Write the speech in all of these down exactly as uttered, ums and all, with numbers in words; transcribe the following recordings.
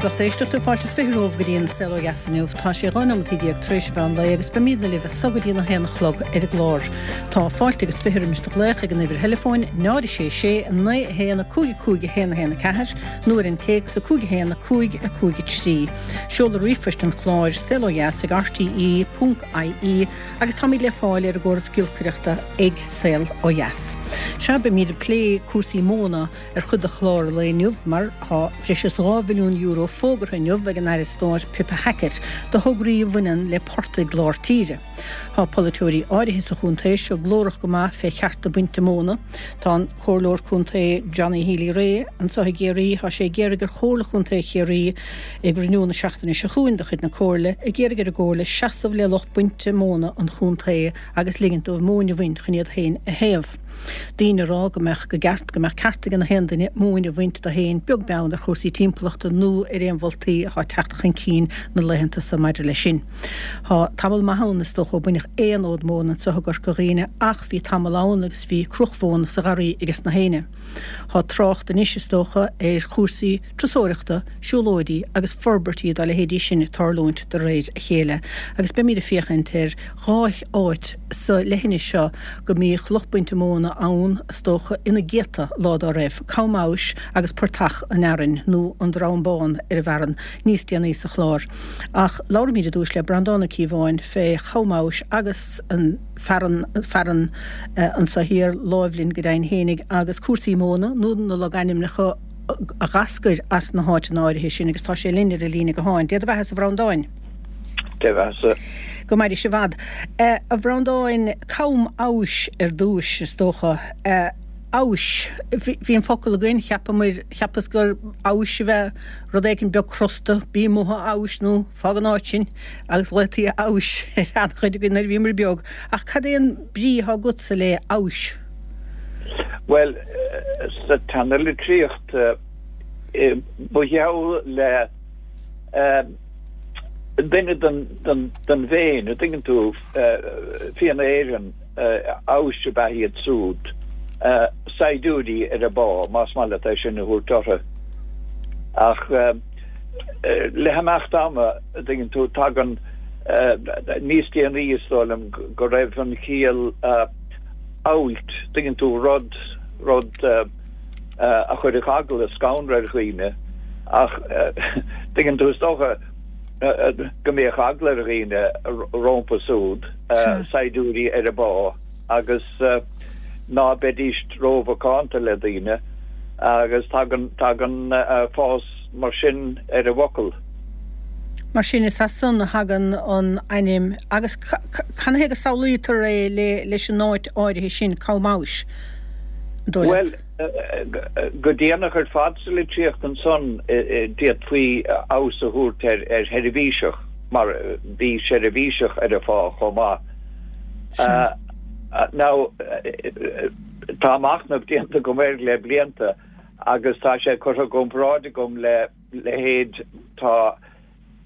Agus lucht éisteachta fáilte is fiche romhaibh go dtí an Saol Ó Dheas inniu. Tá sé dhá nóiméad déag tar éis an mheán lae agus beimidne libh as so go dtí a haon a chlog ar an gclár. Tá fáilte agus fiche roimis do ghlaoch ag an uimhir theileafóin náid sé sé naoi a haon a cúig cúig a haon a haon a ceathair nó ar an téacs a cúig a haon a cúig a cúig a trí. Seoladh ríomhphoist an chláir saol ó dheas ag RTE ponc IE agus táimid le fáil ar an gcóras giolcaireachta ag Saol Ó Dheas. Sea beimid ag plé cúrsaí móna ar chuid de chlár an lae inniu mar tá breis is dhá mhilliún euro fógartha inniu ag an Aire Stáit Pippa Hackett do thograí a bhaineann le portaigh lár tíre. Tá polaiteoirí áirithe sa chontae seo glórach go maith fé chearta bainte móna. Tá an Comhairleoir Contae Johnny Healy-Rae anseo i gCiarraí tá sé ag iarraidh ar Chomhairle Chontae Chiarraí ag cruinniú na seachtaine seo chugainn de chuid na Comhairle ag iarraidh ar an gComhairle seasamh le lucht bainte móna an chontae agus ligint dóibh móin a bhaint chun iad féin a théamh. Daoine ag rá go mbeadh go gceart go mbeadh ceart ag gach aon duine móin a bhaint dó féin beag beann ar chúrsaí timpeallachta nó ar aon mholtaí atá ag teacht chun cinn na laethanta seo maidir leis sin. Tá tamall maith ann is dócha ó baineadh aon fhód móna anseo i gCorca Dhuibhne ach bhí tamall ann agus bhí cruach mhóna sa gharraí ages na héinne. Tá trácht anois is dócha ar chúrsaí turasóireachta, siúlóidí agus forbairtí dá leithéidí sin ag tarlúint de réir a chéile, agus beimid ag féachaint ar dhá áit sa leithinis seo go mbíodh lucht bainte móna ann is dócha ina gcéadta lá dá raibh, Cam Abhais agus Portach an Fhearainn nó an Drom Bán ar an bhFearann níos déanaí sa chlár. Ach labhraímid ar dtús le Breandán Ó Cíobháin fé Cham Abhais agus an fearann fearann anseo thiar láimh linn go deimhin fhéinig agus cúrsaí móna nó na logainmneacha a dh'eascair as na háiteanna áirithe sin agus tá sé linn ar an líne gutháin. Dé do bheatha-sa a Bhreandáin. Dé bheatha-sa. Go mairis i bhfad. A Bhreandáin, Cam Abhais ar dtúis is dócha. Abhais. Bhí an focal againn, cheapamair, cheapas gur abhais a bheith rud éigin beag crosta, bí amuigh a abhais nó fág an áit sin agus ghlaotaí abhais ar an-chuid againn nuair a bhíomar beag. Ach cad é an brí atá agatsa le abhais? Bhuel, sa tseanalitríocht, ba gheall le duine den bhFéinn, an dtuigeann tú, Fianna Éireann, abhais ab ea iad súd, saighdiúirí ar a bpá, más maith leat é sin a thabhairt orthu. Ach le himeacht ama, an dtuigeann tú, tagann níos déanaí, is dóigh liom, go raibh an chiall abhailt, tuigeann tú, rud, rud a chuirfeadh eagla, scanradh ar dhaoine. Ach, tuigeann tú, is dócha go mbíodh eagla ar dhaoine rompu súd, saighdiúirí ar a bpá, agus ná beidís rómhacánta le daoine, agus tagann, tagann fás mar sin ar an bhfocal. Mar sin, is as san a thagann an ainm agus canathaobh go samhlaítear é le leis an áit áirithe sin, Cam Abhais, an dóigh Bhuel, leat? go déanach ar fad sa litríocht ansan d'fhéadfaí abhus a thabhairt ar ar sheirbhíseach mar bhí seirbhíseach ar a phá chomh maith. Sea. Now, tá machnamh déanta agam air le blianta agus tá sé curtha i gcomparáid agam le leithéid, tá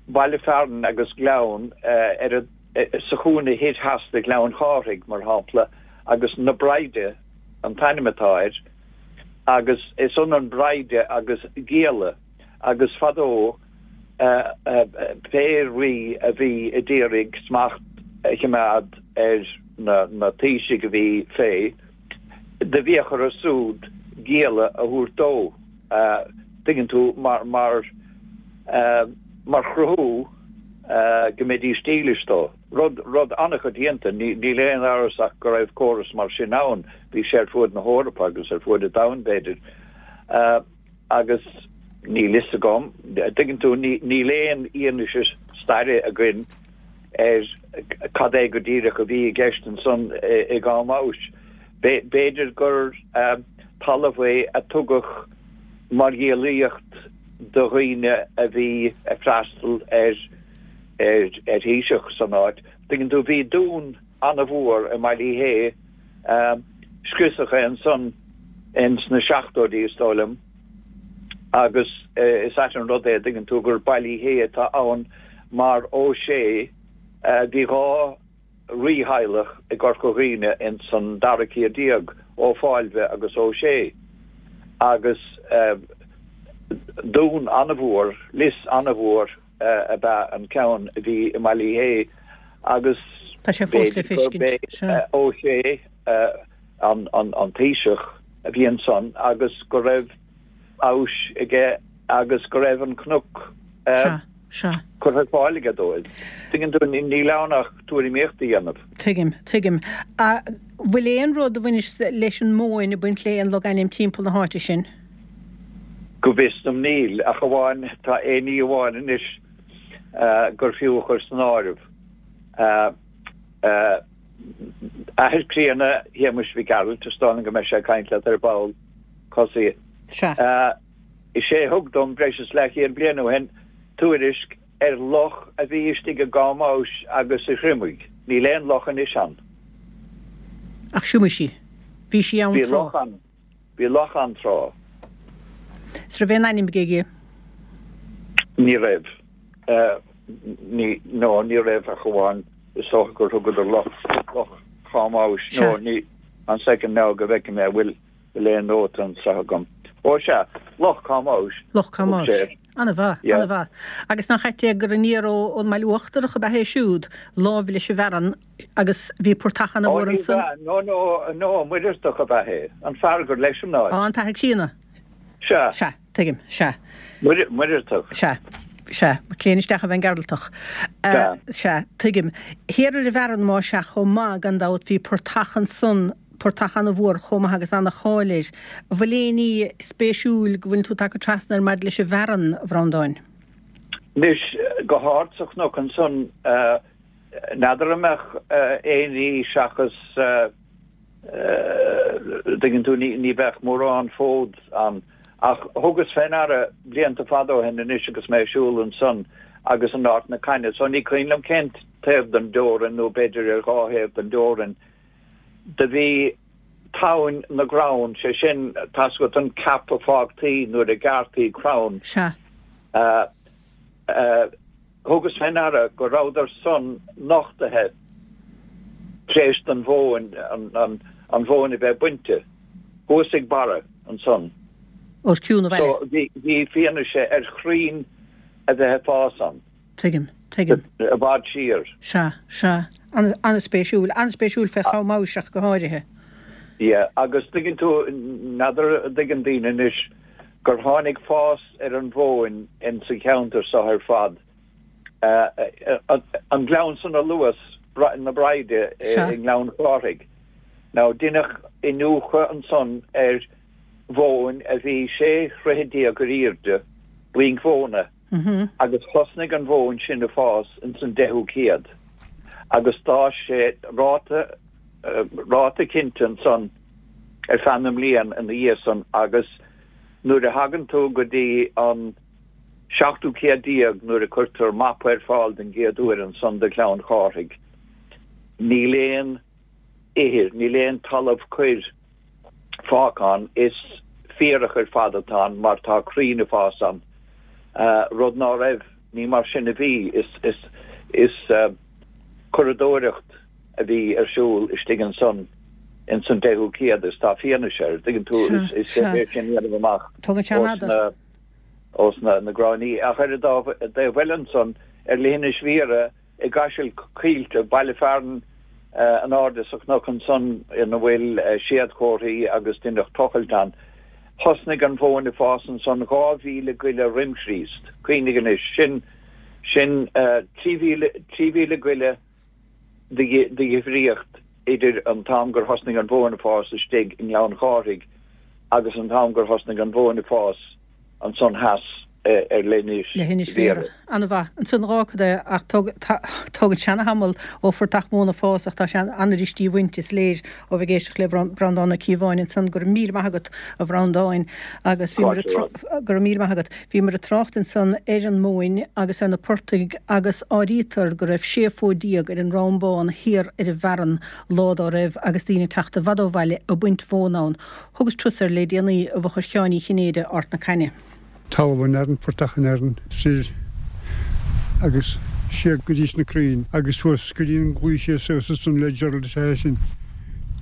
baile fearainn agus gleann ar an, sa chúinne thoir theas de Ghleann Chárthaigh, mar shampla, agus Na Braighde an t-ainm atá air, agus is ionann braighde agus gialla, agus fadó pé rí a bhí a d'iarraidh smacht a chimeád ar na taoisigh a bhí fé, do bhíodh orthu súd gialla a thabhairt dó, tuigeann tú, mar, mar, mar chruthú go mbeidís dílis dó. Rud, rud an-choitianta, níl aon amhras ach go raibh córas mar sin ann, bhí sé ar fuaid na hEorpa agus ar fuaid an domhain, b'fhéidir. Agus níl fhios agam, tuigeann tú, níl aon fhianaise staire againn ar cad é go díreach a bhí i gceist ansan i gCam Abhais. B'fhéidir gur talamh é a tugadh mar ghiallaíocht do dhaoine a bhí ag freastal ar ar thaoiseach san áit. Tuigeann tú, bhí dún an-mhór i mBaile Uí Shé, scriosadh é ansan ins na seachtóidí is dóigh liom, agus is ait an rud é, tuigeann tú, gur Baile Uí Shé atá ann mar Ó Sé, bhí dhá rítheaghlach i gCorca Dhuibhne ins an dara céad déag, Ó Fáilbhe agus Ó Sé, agus Dún an-mhór, lios an-mhór ab ea an ceann a bhí i mBaile Uí Shé agus Tá sé fós le b'fhéidir gurb feiscint, é sea. Ó Sé an taoiseach a bhí ansan agus go raibh amhais aige agus go raibh an cnoc Sea, sea. curtha ar fáil aige dóibh. Tuigeann tú, níl ann ach tuairimíocht a dhéanamh. Tuigim, tuigim. Bhfuil aon rud a bhaineas leis an móin ag baint le aon logainm timpeall na háite sin? Go bhfios dom níl, ach amháin tá aon ní amháin anois gur fiú a chur san áireamh. Athair críonna Shéamuis Mhic Gearailt, is dóigh liom go mbeidh sé ag caint leat ar ball, Cosaí. Sea. Is é a thug dom breis is leathchéad bliain ó shin tuairisc ar loch a bhí istigh i gCom Amhais agus sa Thriomaigh. Níl aon loch anois ann. Ach thriomaiodh sí. Bhí sí ann Bhí tráth. loch ann. Bhí loch ann tráth. 'S raibh aon ainm aige? Ní raibh. Ní, no, ní raibh ach amháin is dócha gur thugadar loch, Loch Chom Amhais, Sea. no, ní, one second now go bhfeicfidh mé an bhfuil, bhfuil aon nóta anseo agam. Ó sea, Loch Chom Amhais. Loch Chom Thug sé Amhais. air. An-mhaith, Yeah. an-mhaith. Agus nach ait é gur aniar ó, ón mBaile Uachtarach ab ea é siúd, láimh leis an bhFearann agus bhí portach Ó an-mhór ní ansan. b'ea, no, no, no, Muireartach ab ea é, an fear gur leis an áit. Á, an t-athair críonna. Sea. Sea, tuigim, sea. Muireartach. Sea, sea, claon isteach a bheith Gearaltach. Sea. Sea, tuigim. Thiar ar an bhFearann más ea chomh maith, gan dabht, bhí portach ansan, portach an-mhór chomh maith agus an-cháil air. An bhfuil aon ní spéisiúil go bhfuil tú tagtha trasna air maidir leis an bhFearann, a Bhreandáin? Anois, go hard sa chnoc ansan, n'fheadar an mbeadh aon ní seachas, dtuigeann tú, ní bheadh mórán fód ann. Ach thugas fé ndeara blianta fada ó shin anois agus mé ag siúl ansan agus in Ard na Caithne, so ní cuimhin liom cén taobh den dteorainn nó b'fhéidir ar dhá thaobh den dteorainn, do bhí tamhain na gcrann, sé sin, tá's agat an ceap a fágtaí nuair a gearrtaí crann. Sea. Thugas fé ndeara go rabhadar san nochtaithe tar éis don mhóin, an mhóin a bheith bainte, thuas ag barra ansan. Os cionn an bhaile. So bhí, bhí fianaise ar chrainn a bheith ag fás ann. Tuigim, tuigim. I bhfad siar. Sea, sea. An-spéisiúil, an-spéisiúil fé Chom Amhais ach go háirithe. Yeah, agus tuigeann tú, n'fheadar an dtuigeann daoine anois gur tháinig fás ar an mhóin in sa cheantar seo ar fad. An gleann san a luas, na Braighde i nGleann Chárthaigh. Now deineadh iniúchadh ansan ar mhóin a bhí sé throithe déag ar airde, buinc mhóna, agus thosnaigh an mhóin sin a fás ins an deichiú céad agus d'fhás sé ráta ráta cinnte ansan ar feadh na mblian ina dhiaidh san agus nuair a thagann tú go dtí an seachtú céad déag nuair a cuirtear mapa ar fáil den gcéad uair ansan do Ghleann Chárthaigh níl aon ithir, níl aon talamh coir fágtha ann, is féarach ar fad atá ann mar tá crainn ag fás ann, rud ná raibh, ní mar sin a bhí, is, is, is curadóireacht a bhí ar siúl istigh ansan ins an deichiú céad is tá fianaise air, dtuigeann tú, is, is féidir sin a dhéanamh amach Tógann sé an ós na, ós na, na gráinní. Ach ar an dá, dtaobh eile ansan, ar Leithinis Bhiorra, I gCaiseal Coillte, baile fearainn in airde sa chnoc ansan ina bhfuil séadchomharthaí agus deineadh tochailt ann. Thosnaigh an mhóin ag fás ansan dhá mhíle goile roim Chríost. Cuimhnigh anois, sin, sin trí mhíle, trí mhíle goile de dhifríocht idir an t-am gur thosnaigh an mhóin ag fás istigh i nGleann Chárthaigh agus an t-am gur thosnaigh an mhóin ag fás ansan theas ar Leithinis Leithinis Bhiorra. Bhiorra. An-mhaith. Ansan dhá cad é ach tógann sé ana-thamall ó phortach móna fás ach tá sé an-fhuirist í a bhaint, is léir ó bheith ag éisteacht le Breandán Ó Cíobháin ansan. Go raibh míle maith agat, a Bhreandáin. Agus bhíomar ag go raibh míle maith agat. Bhíomar ag trácht ansan ar an móin agus ar na portaigh agus áirítear go raibh sé fód déag ar an Ráth Bán thiar ar an bhFearann lá dá raibh agus daoine ag teacht i bhfad ó bhaile ag baint mhóna ann. Thugas turas air le déanaí i bhfochair Sheáin Uí Chinnéide, Ard na Caithne. Talamh an Fhearainn, Portach an Fhearainn, soir agus siar go dtí sna crainn agus suas go dtí an gclaí síos suas ansan le Gerald is ea é sin,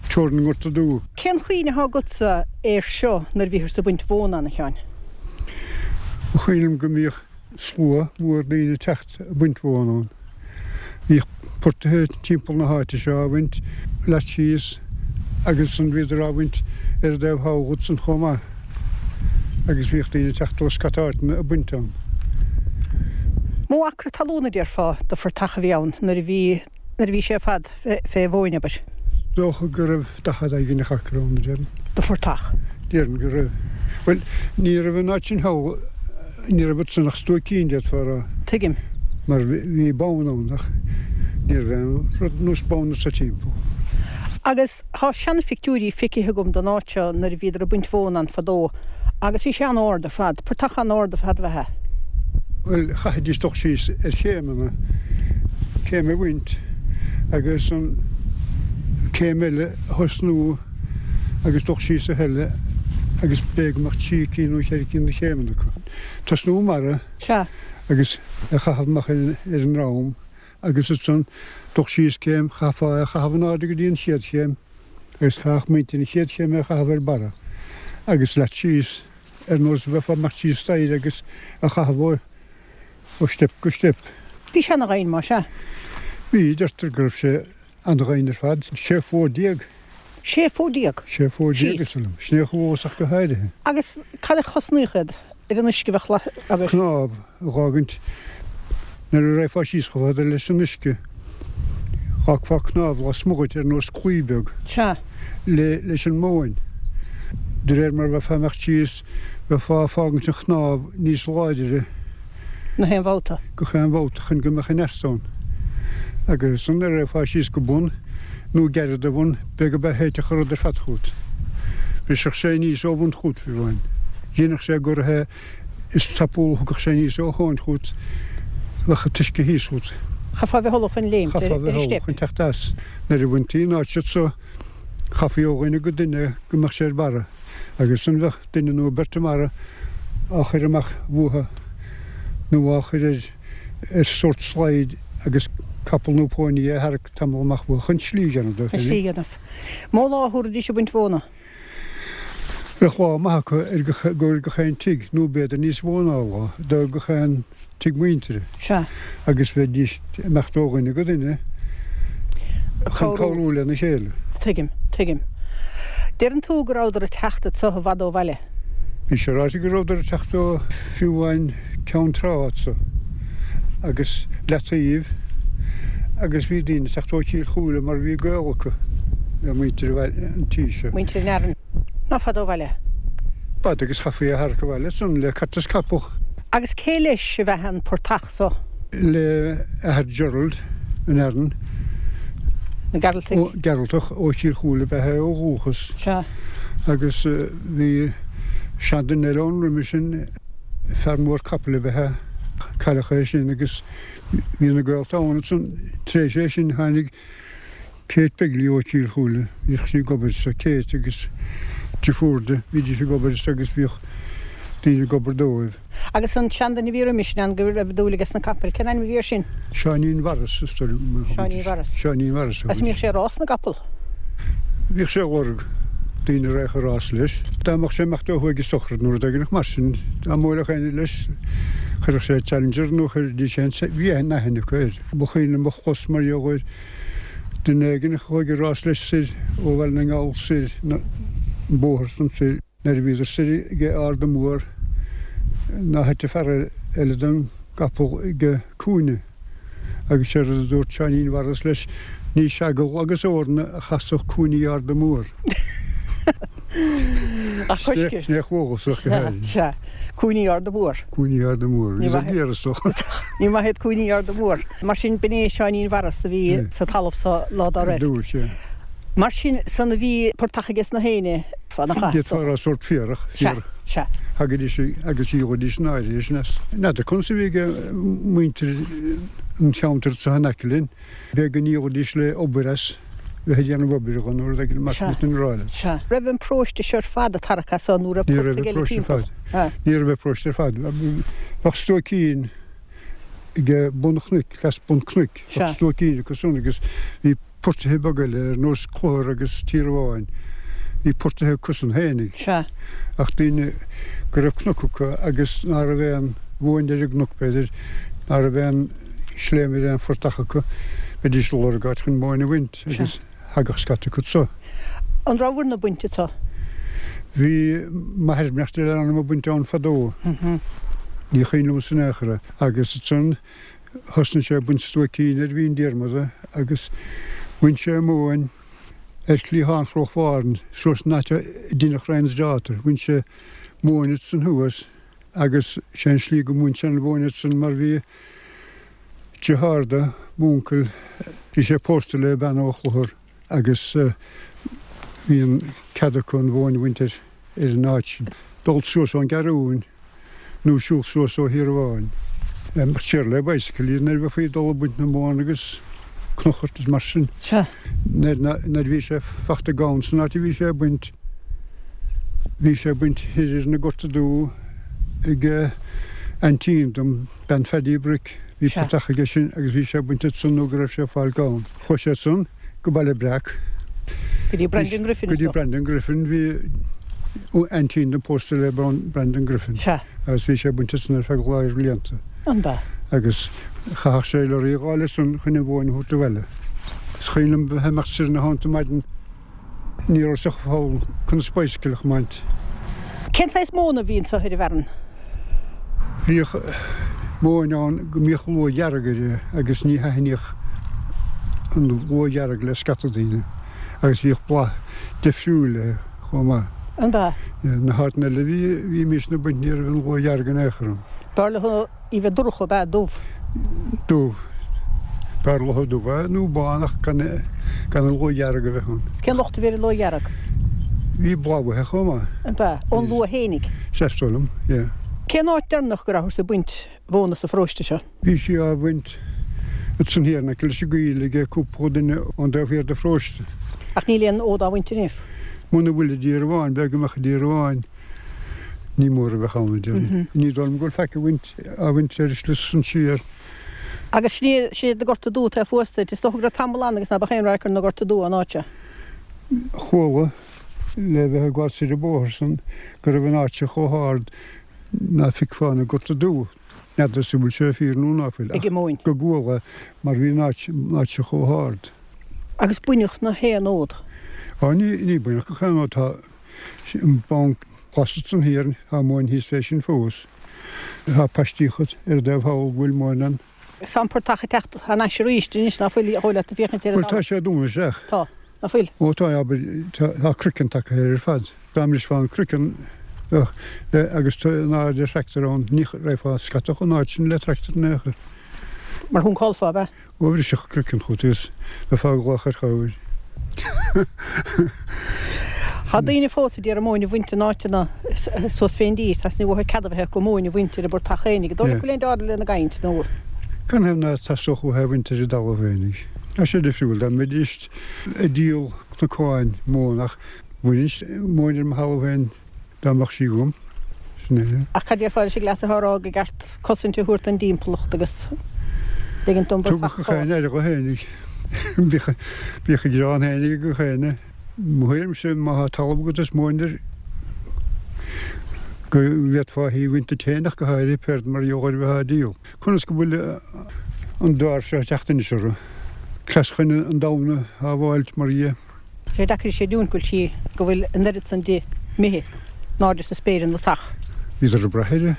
teorainn an Ghorta Dubh. Cén chuimhne atá agatsa air seo nuair a bhíothas ag baint mhóna ann, a Sheáin? Ba chuimhin liom go mbíodh slua mór daoine ag teacht ag baint mhóna ann. Bhíodh portaithe timpeall na háite seo á bhaint leat síos agus ansan bhíodar á bhaint ar an dtaobh thall dhutsan chomh maith agus bhíodh daoine ag teacht ó scata áiteanna ag baint ann. Mó acra talún a déarfá de phortach a bhí ann nuair a bhí nuair a bhí sé ar fad fé mhóin, abair? Dócha go raibh daichead éigin acra ann, a déarfainn. De phortach? Déarfainn go raibh. Bhuel, ní raibh an áit sin thall, ní raibh ansan ach stuaicín, d'fhéadfá a rá. Tuigim. Mar bhí bonn ann ach ní raibh aon rud nós bonn anso timpeall. Agus tá seanphictiúirí feicthe agam den áit seo nuair a bhíodar ag baint mhóna ann fadó agus bhí sé an-ard ar fad, portach an-ard ar fad ab ea é. Bhuel, chaithfidís dul síos ar chéimeanna, céim a bhaint agus an céim eile a thosnú agus dul síos a thuilleadh agus b'fhéidir go mbeadh trí cinn nó ceithre cinn de chéimeanna acu. Tosnú i mbarra Sea. agus a chaitheamh amach ar an ndroim agus ansan dul síos céim, chaithfeá é a chaitheamh in airde go dtí an chéad chéim agus chaithfeadh muintir an chéad chéim é a chaitheamh ar barra agus leat síos ar nós a bheifeá ag imeacht síos staighre agus a chaitheamh ó ó steip go steip. Bhí sé ana-dhoimhin, más ea? Bhí, deirtear go raibh sé ana-dhoimhin ar fad, sé fód déag. Sé fód déag? Sé fód déag, is dóigh liom. Sin é a chomh ach go háirithe. Agus cad a chosnaíodh iad ar an uisce a bheadh abair? Cnámh a dh'fhágaint nuair a raghfá síos chomh fada leis an uisce, dh'fhágfá cnámh lasmuigh dhuit ar nós claí beag. Sea. Le, leis an móin. De réir mar a bheifeá ag imeacht síos, bheifeá ag fágaint an chnámh níos láidire. Gach aon bhabhta. Gach aon bhabhta chun go mbeadh an neart ann. Agus ansan nuair a raghfá síos go bun, nó gairid do bhun, b'fhéidir go thitfeadh an rud ar fad chugat. Bhrisfeadh sé aníos ó bhun chugat, fiú amháin. Dhéanfadh sé gur é is tapúla a thiocfadh sé aníos ó thóin chugat, bheadh an t-uisce thíos chugat. Chaithfeá a bheith ullamh chun léimt ar Chaithfeá a an bheith ullamh steip. chun teacht as. Nuair a bhaintí an áit so, chaithfí ó dhuine go duine go mbeadh sé ar barra. Agus ansan bheadh duine nó beirt i mbarra á chur amach uathu nó á chur ar ar sórt slide agus capall nó pónaí á tharrac tamall amach uathu chun slí a dhéanamh dóibh Chun slí a dhéanamh. Mó lá a thabharfaidís ag baint mhóna? Bheadh lá maith acu ar gach ar gach aon tigh nó b'fhéidir níos mó ná lá do gach aon tigh muintire. Sea. Agus bheidís ag imeacht ó dhuine go duine chun cabhrú lena chéile. Tuigim, tuigim. Deireann tú go rabhadar ag teacht anso i bhfad ó bhaile. Bhí sé ráite go rabhadar ag teacht ó fiú amháin Ceann Trá anso agus Leataoibh agus bhí daoine ag teacht ó Chill Chúile mar bhí gaol acu le muintir an tí seo. Muintir an Fhearainn. Ná fada ó bhaile. B'fhada agus chaithfí a tharrac abhaile ansan le cairt is capall. Agus cé leis ab ea an portach so? Le athair Gerald, an Fhearainn. Na Gearaltaigh. Gearaltach ó Chill Chúile ab ea é ó dhúchas. Sea. Agus bhí seanduine eile ann roimhe sin, fear mór capaill ab ea é, cailleadh é sin agus bhí na gaolta ann ansan. Tar éis é sin tháinig Kate Begley ó Chill Chúile, bhíodh sí ag obair sa Kate agus deirfiúr di, bhídís ag obair sa agus bhíodh daoine ag obair dóibh. Agus an seanduine a bhí roimis sin ann go raibh dúil aige sna capaill, cén ainm a bhí air sin? Seáinín Mharas, is dóigh liom. Seáinín Mharas. Seáinín Mharas a Agus an mbíodh sé ag rás na gcapall? Bhíodh sé ag lorg daoine a raghadh ag rás leis. Dá mbeadh sé ag imeacht ó thuaidh ag sochraid nó rud éigin mar sin, dá mbuailfeadh éinne leis, chuirfeadh sé challenger nó chuiridís aon, bhí aithne acu air. Ba chuimhin liom a chlos mar gheall ar duine éigin a chuaigh ag rás leis soir ó Bhaile na nGall soir an bóthar san soir. Nuair a bhíodar soir ag Arda Mór ná thit an fear eile den gcapall ag cúinne agus séard a dúirt Seáinín Mharas leis, ní Seagal agus Eorna a chasfadh cúinní Arda Mór. Ach coiscir. Sin é chomhfhiosach go háirithe. Sea, cúinní Arda Mór. Cúinní Arda Mór. Ní Bhí maith. géar is dócha. Ní maith iad cúinní Arda Mór. Mar sin b'in é Seáinín Mharas a bhí sa talamh so lá dá raibh. Dúirt sé. Mar sin san a bhí portach aige sna héinne fad an chath. D'fhéadfá a rá sórt féarach. Sea, sea. Thagaidís agus dhíolaidís an áirithe sin as. N'fheadar conas a bhí ag muintir an cheantair seo in aice linn. B'fhéidir go ndíolaidís le obair as, bheith ag déanamh obair dhó nó rud éigin mar Sea. sin a rá leat. Sea. Raibh an paróiste seo ar fad ag tarrac as so nó raibh Ní raibh portaigh an eile paróiste ar timpeall? fad. Ní raibh an paróiste ar fad. Bheadh stuaicín ag bun an chnoic, cleas bun cnoic. Sea. Bheadh stuaicín acu san agus bhí portaithe beaga eile ar nós Clochar agus Tír Bháin. Bhí portaithe acusan fhéinig. Sea. Ach daoine go raibh cnoc acu agus ná raibh aon mhóin ar an gcnoc, b'fhéidir, ná raibh aon sléibhe ar aon phortach acu, bheidís ag lorg áit chun móin a bhaint agus thagadh scata acu anso. An rabhabhair-na ag baint anso? Bhí m'athair beannacht Dé lena anam ag baint ann fadó. Ní cuimhin liomsa in aon chor é. Agus ansan thosnaigh sé ag baint stuaicín ar Mhín Diarmada agus bhain sé móin ar chliathán Chnoc Mhárthain, suas an áit a deineadh Ryan's Daughter. Bhain sé móin ansan thuas agus sé an slí go mbain sé an mhóin ansan mar bhí deartháir do m'uncail, bhí sé pósta le bean ó Chlochar agus bhí an cead acu an mhóin a bhaint ar an áit sin. Dul suas ón gCeathrúin nó siúl suas ó Thír Bháin. Imeacht siar le bicycle nuair a bheifí ag dul ag baint na móna agus cnochairt is mar sin. Sea. Nuair nuair a bhí sé fachta gann san áit a bhí sé ag baint, bhí sé ag baint thoir ar na Gorta Dubha ag aintín dom, bean Phaddy Brick, bhí Sea. portach aige sin agus bhí sé ag baint ansan nó go raibh sé ag fáil gann. Chuaigh sé ansan go Baile Breac. Go dtí Brendan Griffin, Go is dtí dócha. Brendan Griffin, bhí aintín dom pósta le Brendan Griffin. Sea. Agus bhí sé ag baint ansan ar feadh lear blianta. An b'ea? Agus chaithfeadh sé lorry a dh'fháil ansan chun an mhóin a thabhairt abhaile. Is cuimhin liom bheith ag imeacht soir ina theannta maidin, ní raibh a fhios acu conas bicycle a chomáint. Cén saghas móna a bhí anso ar an bhfearann? Bhíodh móin ann go mbíodh luaith dhearg uirthi agus ní thaitníodh an luaith dhearg le scata daoine agus bhíodh boladh difriúil léi chomh maith. An b'ea? Na háiteanna eile a bhí, bhímis ag baint ní raibh an luaith dhearg in aon chor ann. B'fhearr leo í bheith dorcha, ab ea? Dubh? Dubh. B'fhearr leo dubh nó bán ach gan, gan an luaith dhearg a bheith ann. Is cén locht a bhí ar an luaith dhearg? Bhí boladh uaithi chomh maith. An b'ea? Ón luaith fhéinig? Sea, is dóigh liom, yeah. Cén áit deireanach go rabhthas ag baint mhóna sa pharóiste seo? Bhí sí á bhaint ansan thiar in aice leis an gcoill ag cúpla duine ón dtaobh thiar de pharóiste. Ach níl aon fhód á bhaint inniu? Muna bhfuil i dtír amháin, b'fhéidir go mbeadh i dtír amháin. Ní mór a bheadh ann, a déarfainn. Ní dóigh liom go bhfuil faic á bhaint, á bhaint ar an slí san siar. Agus sin é, sin iad na Gorta Dubha atá thuas duit. Is dócha go raibh tamall ann agus ná beadh aon radharc ar na Gorta Dubha an áit seo. Chuala, le bheith ag gabháil soir an bóthar san, go raibh an áit seo chomh hard ná feicfeá na Gorta Dubha. N'fheadar an bhfuil sé fíor nó ná fuil, Ag an móin. go gcuala mar bhí an áit, an áit seo chomh hard. Agus baineadh na haon fhód. Á, ní, ní baineadh gach aon fhód. Tá an bonn glas ansan thiar, tá móin thíos fé sin fós. Tá paistíocha ar an dtaobh thall go bhfuil móin ann. Tá an portach ag teacht thar n-ais arís anois, ná fuil, dhóigh leat, ag féachaint ar an Bhuel, tá sé dúnadh isteach. Tá, ná fuil? Ó tá, abair, tá, tá croiceann tagtha air ar fad. Dá mbrisfeá an croiceann, bheadh, agus tá in airde tractor ann, ní raghfá scata chun áit sin le tractor in aon chor. Mar shuncálfá, ab ea? Ó, bhrisfeadh an croiceann chugat agus bheifeá ag glaoch ar chabhair. Tá daoine fós a d'iarraidh móin a bhaint in áiteanna suas fén dtír, tá ní uathu cead a bheith acu móin a bhaint ar a bportach fhéinig. An dóigh leat go bhfuil aon dealramh lena gcaint nó? Canathaobh ná teastódh uathu é a bhaint ar a dtalamh fhéinig? Tá sé difriúil dá mbeidís ag díol cnocáin móin ach bhainfinn móin ar mo thalamh féin dá mbeadh sí agam. Sin é. Ach cad déarfá leis an gcleas atá á rá gur ceart cosaint a thabhairt don dtimpeallacht agus ligint don bportach Tugadh gach fás? éinne aire dho fhéinig. Bíodh bíodh a ghearán fhéinig ag gach éinne. Mo thuairimse má thá talamh agat is móin air go bhféadfá í a bhaint duit féin ach go háirithe péard mar gheall ar bheith á díol. Conas go bhfuil an dár seo ag teacht anois orthu? Cleas chun an domhan a shábháilt mar dhea. Sé deacair a chreidiúint go bhfuil sí, go bhfuil an oiread san di imithe in airde sa spéir ina teach. Bhíodar ag brath uirthi,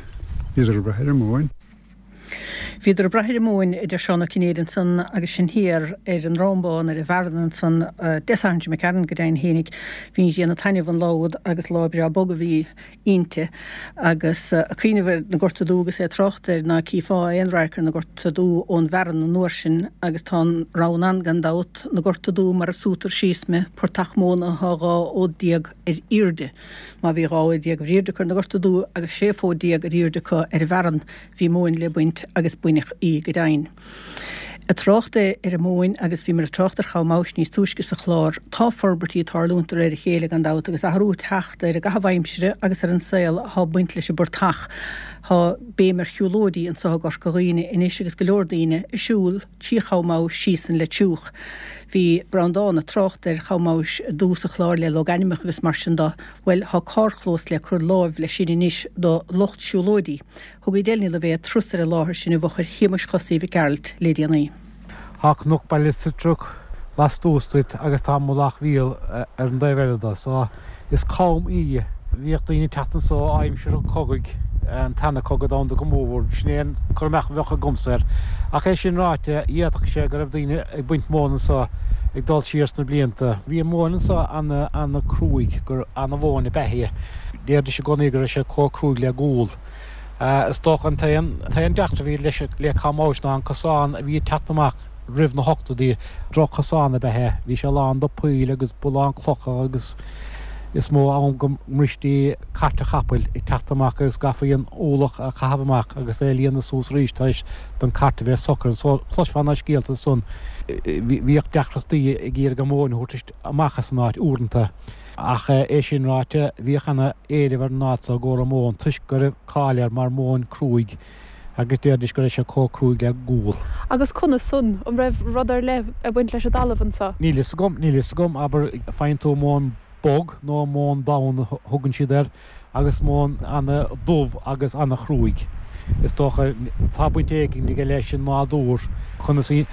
bhíodar ag brath ar an móin. Bhíodar ag brath ar an móin, a deir Seán Ó Cinnéide ansan agus sin thiar ar an nDroim Bán ar an bhfearann ansan Dé Sathairn seo imigh tharainn go deimhin fhéinig. Bhí an ghrian ag taitneamh an lá úd agus lá breá bog a bhí inti agus ag cuimhneamh ar na Gorta Dubha agus é ag trácht air ná cífeá aon radharc ar na Gorta Dubha ón bhfearann an uair sin agus tá an rann ann gan dabht, na Gorta Dubha mar a sútar síos mé, portach móna atá dhá fhód déag ar airde. Má bhí dhá fhód déag ar airde acu ar na Gorta Dubha agus sé fód déag ar airde acu ar an bhfearann, bhí móin le baint agus baineadh í go deimhin. Ag trácht ar an móin agus bhíomar ag trácht ar Chabha Mabhais níos túisce sa chlár, tá forbairtí ag tarlúint de réir a chéile gan dabht agus athrú ag teacht ar an gcaitheamh aimsire agus ar an saol atá ag baint leis an bportach. Tá béim ar shiúlóidí anseo i gCorca Dhuibhne anois agus go leor daoine ag siúl trí Chabha Mabhais síos an Leitriúch. Bhí Breandán ag trácht ar Cham Abhais i dtús an chláir le logainmneacha agus mar sin de. Bhuel, tá carrchlós le cur láimh leis sin anois do lucht siúlóidí. Thug Edel Ní Loibhéad turas ar an láthair sin i bhfochair Shéamais Chosaí Mhic Gearailt le déanaí. Tá Cnoc Baile Sitriuc lastuas díot agus tá Mullach Mhíl ar an dtaobh eile de, so is com í. Bhíodh daoine ag teacht anso aimsir an chogaidh, an Tarna Cogadh Domhanda go mórmhór, sin é an cur amach a bheadh agamsa air. Ach é sin ráite, d'fhéadfadh sé go raibh daoine ag baint móin anso ag dul siar sna blianta. Bhí an mhóin anso ana-chruaidh, gur ana-mhóin ab ea í. Deiridís i gcónaí go raibh sé chomh cruaidh le gual. Is dócha an t-aon deacracht a bhí leis le Cam Abhais ná an cosán a bhí ag teacht amach roimh na hochtóidí. Droch-chosán ab ea é. Bhí sé lán de poill agus lán clocha agus is mó am go mbristí cairt an chapaill ag teacht amach agus gcaithfí an ualach a chaitheamh amach agus é a líonadh suas arís tar éis don cairt a bheith socair. So chloisfeá na scéalta san. Bhíodh deacrachtaí ag iarraidh an mhóin a thabhairt amach as an áit uaireanta. Ach é sin ráite, bhíodh ana éileamh ar an áit so i gcomhair an mhóin toisc go raibh cáil air mar mhóin cruaidh agus deiridís go raibh sé chomh cruaidh le gual. Agus conas san, an raibh rud ar leith ag baint leis an dtalamh anso? Níl fhios agam, níl fhios agam, abair, faigheann tú móin bog nó móin donn a thugann siad air agus móin ana dubh agus ana chrúig. Is dócha tá baint éigin aige leis an nádúr, conas a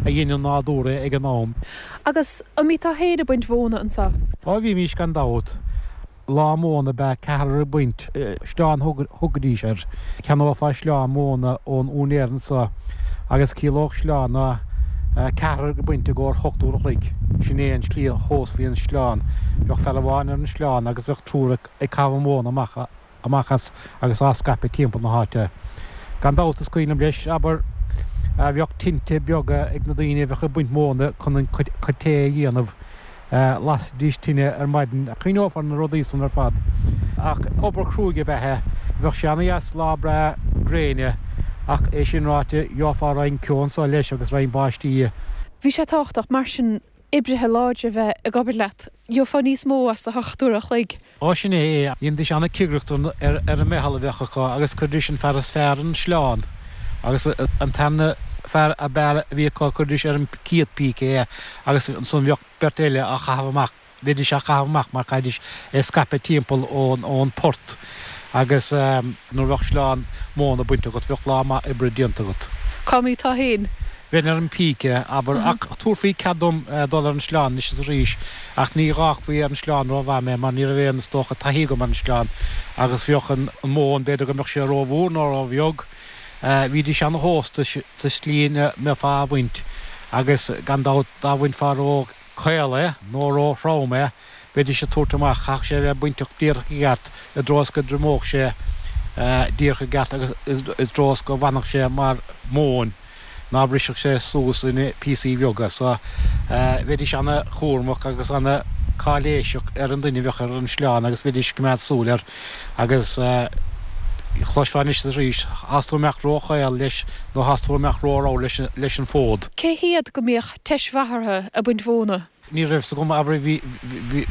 dhein an nádúr é ag an am. Agus an mbíteá féin ag baint mhóna anso? Ó bhímís gan dabht. Lá móna ab ea ceathrar ag baint, sleán thugaidís air. Cheannófá sleán móna ón úinéir anso agus chiallódh sleán ná ceathrar ag baint i gcomhair hocht uair a chloig. Sin é an tslí a thomhaisfí an sleán. Bheadh fear amháin ar an sleán agus bheadh triúr ag caitheamh móna amach amach as agus á scaipeadh timpeall na háite. Gan dabht is cuimhin liom leis, abair, bheadh tinte beaga ag na daoine a bheadh ag baint móna chun an cuid tae a dhéanamh. Lasaidís tine ar maidin. Cuimhneofar na rudaí san ar fad. Ach obair chruaidh ab ea é. Bheadh sé ana-dheas lá breá gréine ach é sin ráite, gheofá roinnt ceo anso leis agus roinnt báistí. Bhí sé tábhachtach mar sin oibrithe láidre a bheith ag obair leat. Gheofá níos mó as do hocht uair a chloig. Ó sin é é. Dhéanaidís ana-chigireacht ar an meitheal a bheadh acu agus chuiridís an fear is fearr ar an sleán agus an tarna fear ab fhearr a bhí acu chuiridís ar an chéad píce é agus ansan bheadh beirt eile á chaitheamh amach. Bheidís á chaitheamh amach mar chaithfidís é scaipeadh timpeall ón ón port agus nuair a bheadh sleán móna bainte agat bheadh lá maith oibre déanta agat. Cá mbíteá féin? Bheinn ar an píce, abair, ach thabharfaí cead dom dul ar an sleán anois is arís, ach ní dh'fhágfaí ar an sleán rómhaith mé mar ní raibh aon, is dócha, taithí agam ar an sleán agus bheadh an mhóin, b'fhéidir go mbeadh sé rómhór nó róbheag. Bhídís ana-thomhasta sa tslí ina mbeifeá á bhaint agus gan dabht dá bhainfeá ró-chaol é nó ró-throm é, bheidís ag tabhairt amach, chaithfeadh sé a bheith bainte díreach i gceart i dtreo is go dtriomódh sé díreach i gceart agus i dtreo is go bhfanfadh sé mar mhóin, ná brisfeadh sé suas ina píosaí bheaga. So, bheidís ana-chúramach agus ana-cháiléiseach ar an duine a bheadh ar an sleán agus bheidís ag coimeád súil air agus chloisfeá anois is arís, Thás tú ag imeacht ró-chaol leis nó thás tú ag imeacht ró-ramhar leis an bhfód. Cé hiad go mbíodh teis mhaith orthu ag baint mhóna? Ní raibh 's agam, abair, bhí,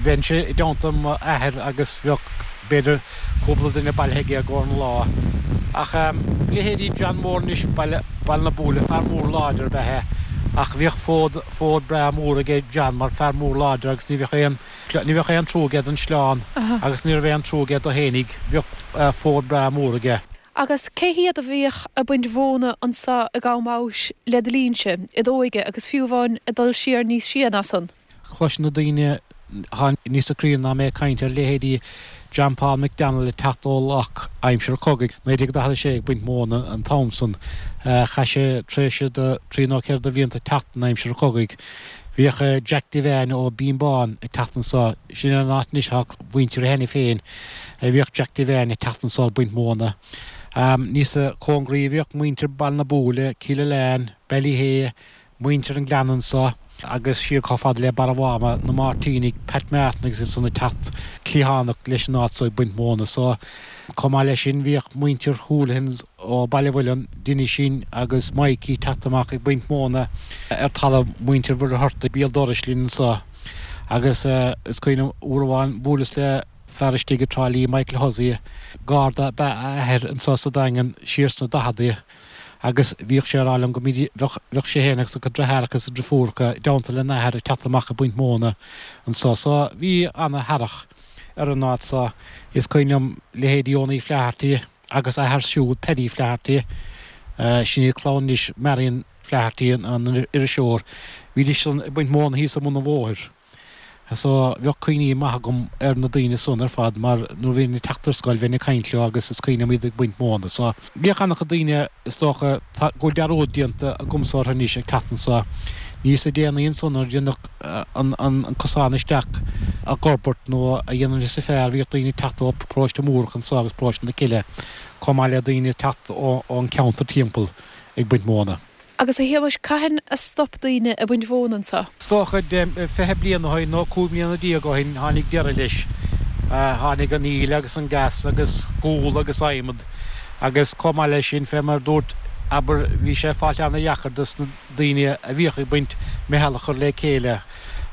bheinnse i dteannta m'athair agus bheadh, b'fhéidir, cúpla duine bailithe aige i gcomhair an lá. Ach leithéidí John Mór anois, Baile, Baile na Búille, fear mór láidir ab ea é ach bhíodh fód, fód breá mór aige John mar fear mór láidir agus ní bheadh aon, ní bheadh aon trua aige don sleán agus ní raibh aon trua aige do fhéinig, bheadh fód breá mór aige. Agus cé hiad a bhíodh ag baint mhóna anso i gCam Abhais le do linnse, i d'óige agus fiú amháin ag dul siar níos sia ná san? Chloisfeadh na daoine atá níosa críonna ná mé ag caint ar leithéidí John Paul McDonnell ag teacht ó Loch aimsir an chogaidh, naoi déag daichead a sé, ag baint móna an t-am san. Chaith sé tréimhse de trí nó ceithre de bhlianta ag teacht in aimsir an chogaidh. Bhíodh Jack Devane ó Bhinn Bán ag teacht anso, sin an áit anois atá mhuintir cheana féin, bhíodh Jack Devane ag teacht anso ag baint móna. Níosa cóngaraí a bhíodh muintir Baile na Búille, Cill Aileáin, Ballyhea, muintir an Ghleanna anso agus siar chomh fada le Barra Mháma, na Máirtínigh, Pat Martin agus iad san ag teacht cliathánach leis an áit so ag baint móna. So, chomh maith leis sin bhíodh muintir Houlihan's ó Baile Mhuilinn, Dinisín agus Mikey teacht amach ag baint móna ar talamh muintir Mhuircheartaigh béal dorais linn anso agus is cuimhin liom uair amháin bhuaileas le fear istigh i dTrá Lí, Michael Hussey, Garda ab ea a athair anso sa Daingean siar sna daicheadaí Agus bhíodh sé ag rá liom go mbídí, bheadh, bheadh sé féin agus a chuid deartháireacha is a deirfiúracha i dteannta lena athair ag teacht amach ag baint móna anso. So bhí ana-thairfeadh ar an áit so. Is cuimhin liom leithéidí Owenie Flaherty agus a athair siúd, Paddy Flaherty, sin iad clann anois Marion Flaherty, an iriseoir, bhídís san ag baint móna thíos i mbun an bhóthair. So bheadh cuimhní maith agam ar na daoine san ar fad mar nuair a bhínn ag teacht ar scoil bheinn ag caint leo agus is cuimhin liom iad ag baint móna. So bhíodh an-chuid daoine is dócha go bhfuil dearúd déanta agamsa orthu anois ag teacht anso. Níosa déanaí ansan nuair a déanadh an an cosán isteach a dh'fhorbairt nó a dhéanamh níosa fearr bhíodh daoine ag teacht ó Paróiste Múrach anso agus Paróiste na Cille chomh maith le daoine ag teacht ón cheantar timpeall ag baint móna. Agus a Shéamais, cathain a stop daoine ag baint mhóna anso? Is dócha fiche bliain ó shin nó cúig bliana déag ó shin tháinig deireadh leis. Tháinig an íle agus an gas agus gual agus adhmad agus chomh maith leis sin, fé mar a dúirt, abair, bhí sé ag fáilt ana-dheacair dos na daoine a bhíodh ag baint meitheal a chur le chéile.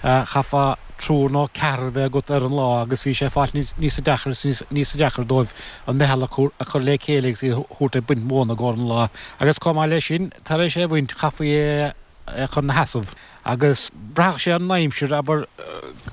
Chaithfeá triúr nó ceathrar a bheith agat ar an lá agus bhí sé ag fáilt níosa deacair is níosa deacair dóibh an meitheal a chur le chéile agus iad a thabhairt ag baint móna i gcomhair an lá. Agus chomh maith leis sin, tar éis é a bhaint, chaithfí é a chur ina sheasamh agus braitheadh sé ar an aimsir, abair,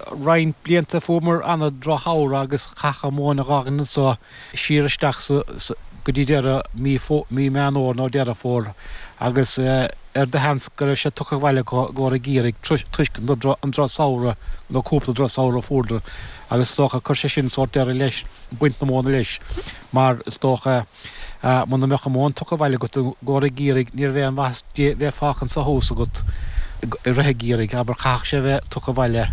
roinnt blianta fuaireamar ana-dhrochshamhradh agus chaithfeá an mhóin a dh'fhágaint anso siar isteach sa go dtí deireadh mí mí Meán Fhómhair nó Deireadh Fómhair agus ar do sheans go raibh sé tugtha abhaile acu i gcomhair an gheimhridh toisc an drochshamhradh nó cúpla drochshamhradh a fuaireadar agus is dócha chuir sé sin sórt deireadh leis baint na móna leis mar is dócha muna mbeadh an mhóin tugtha abhaile agat i gcomhair an gheimhridh ní raibh aon mhaitheas di bheith fágtha anso thuas agat i rith an gheimhridh, abair, chaithfeadh sé bheith tugtha abhaile.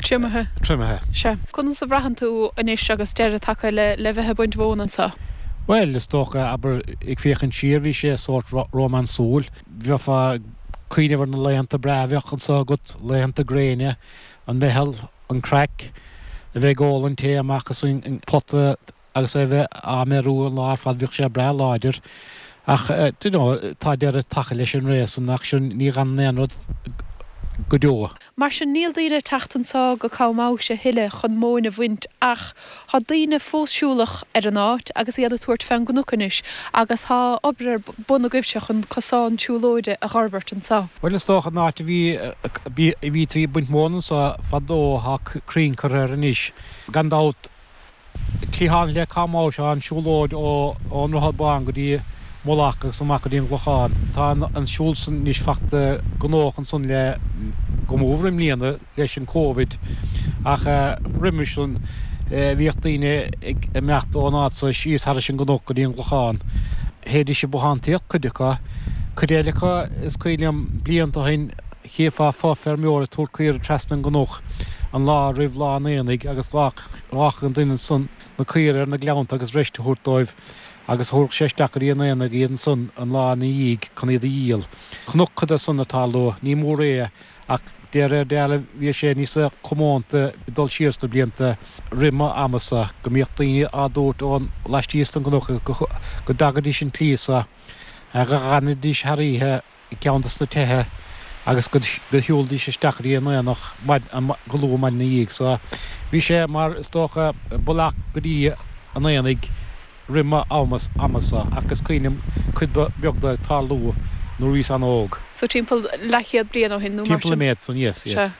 Triomaithe. Triomaithe. Sea. Conas a bhraitheann tú anois agus deireadh tagtha le le bheith ag baint mhóna anso? Bhuel, is dócha, abair, ag féachaint siar, bhí sé sórt rómánsúil. Bheifeá ag cuimhneamh ar na laethanta breá a bheadh anso agat, laethanta gréine, an meitheal, an craic, a bheith ag ól an tae amach as an pota agus é a bheith á mbeiriú an lá ar fad, bhíodh sé breá láidir. Ach, do you know, tá deireadh tagtha leis an ré san ach sin, ní fhanann aon rud go deo. Mar sin, níl daoine ag teacht anso go Com Amhais a thuilleadh chun móin a bhaint ach tá daoine fós siúlach ar an áit agus iad ag tabhairt fén gcnoc anois agus tá obair ar bun agaibhse chun cosán siúlóide a dh'fhorbairt anso. Bhuel, is dócha an áit a bhí, a bhítí ag baint móna anso fadó, tá crainn curtha air anois. Gan dabht, Cliathán le Com Amhais tá an siúlóid ón Droichead Bán go dtí Mullach agus amach go dtí an gClochán. Tá an siúl san anois fachta gnóthach ansan le go mór i mbliana leis an Covid ach roimis san bhíodh daoine ag imeacht ón áit so síos thairis an gcnoc go dtí an gClochán. Théidís ag bothántaíocht, cuid acu. Cuid eile acu, is cuimhin liom blianta ó shin, Chífeá fo-fheirmeoir ag tabhairt caora trasna an gcnoc an lá roimh lá an aonaigh agus ghlac an duine san na caora ar na gleannta agus roist a thabhairt dóibh agus thabharfadh sé isteach go dtí an aonach iad ansan an lá ina dhiaidh chun iad a dhíol. Chonac cuid de san ag tarlú. Ní mór é ach de réir dealraimh bhí sé níosa comónta ag dul siar sna blianta roimh m'amasa go mbíodh daoine á dtabhairt ón laistíos den gcnoc go dtagaidís an tslí so go bhfanaidís thar oíche i gceann de sna tithe agus go shiúlaidís isteach go dtí an aonach go luath maidin ina dhiaidh. So bhí sé mar is dócha bealach go dtí an aonaigh roimh m'amsa ach is cuimhin liom cuid beag de ag tarlú nuair a bhíos an-óg. So timpeall leathchéad bliain ó shin nó mar sin? Timpeall an méid san, yes, yes. Sea.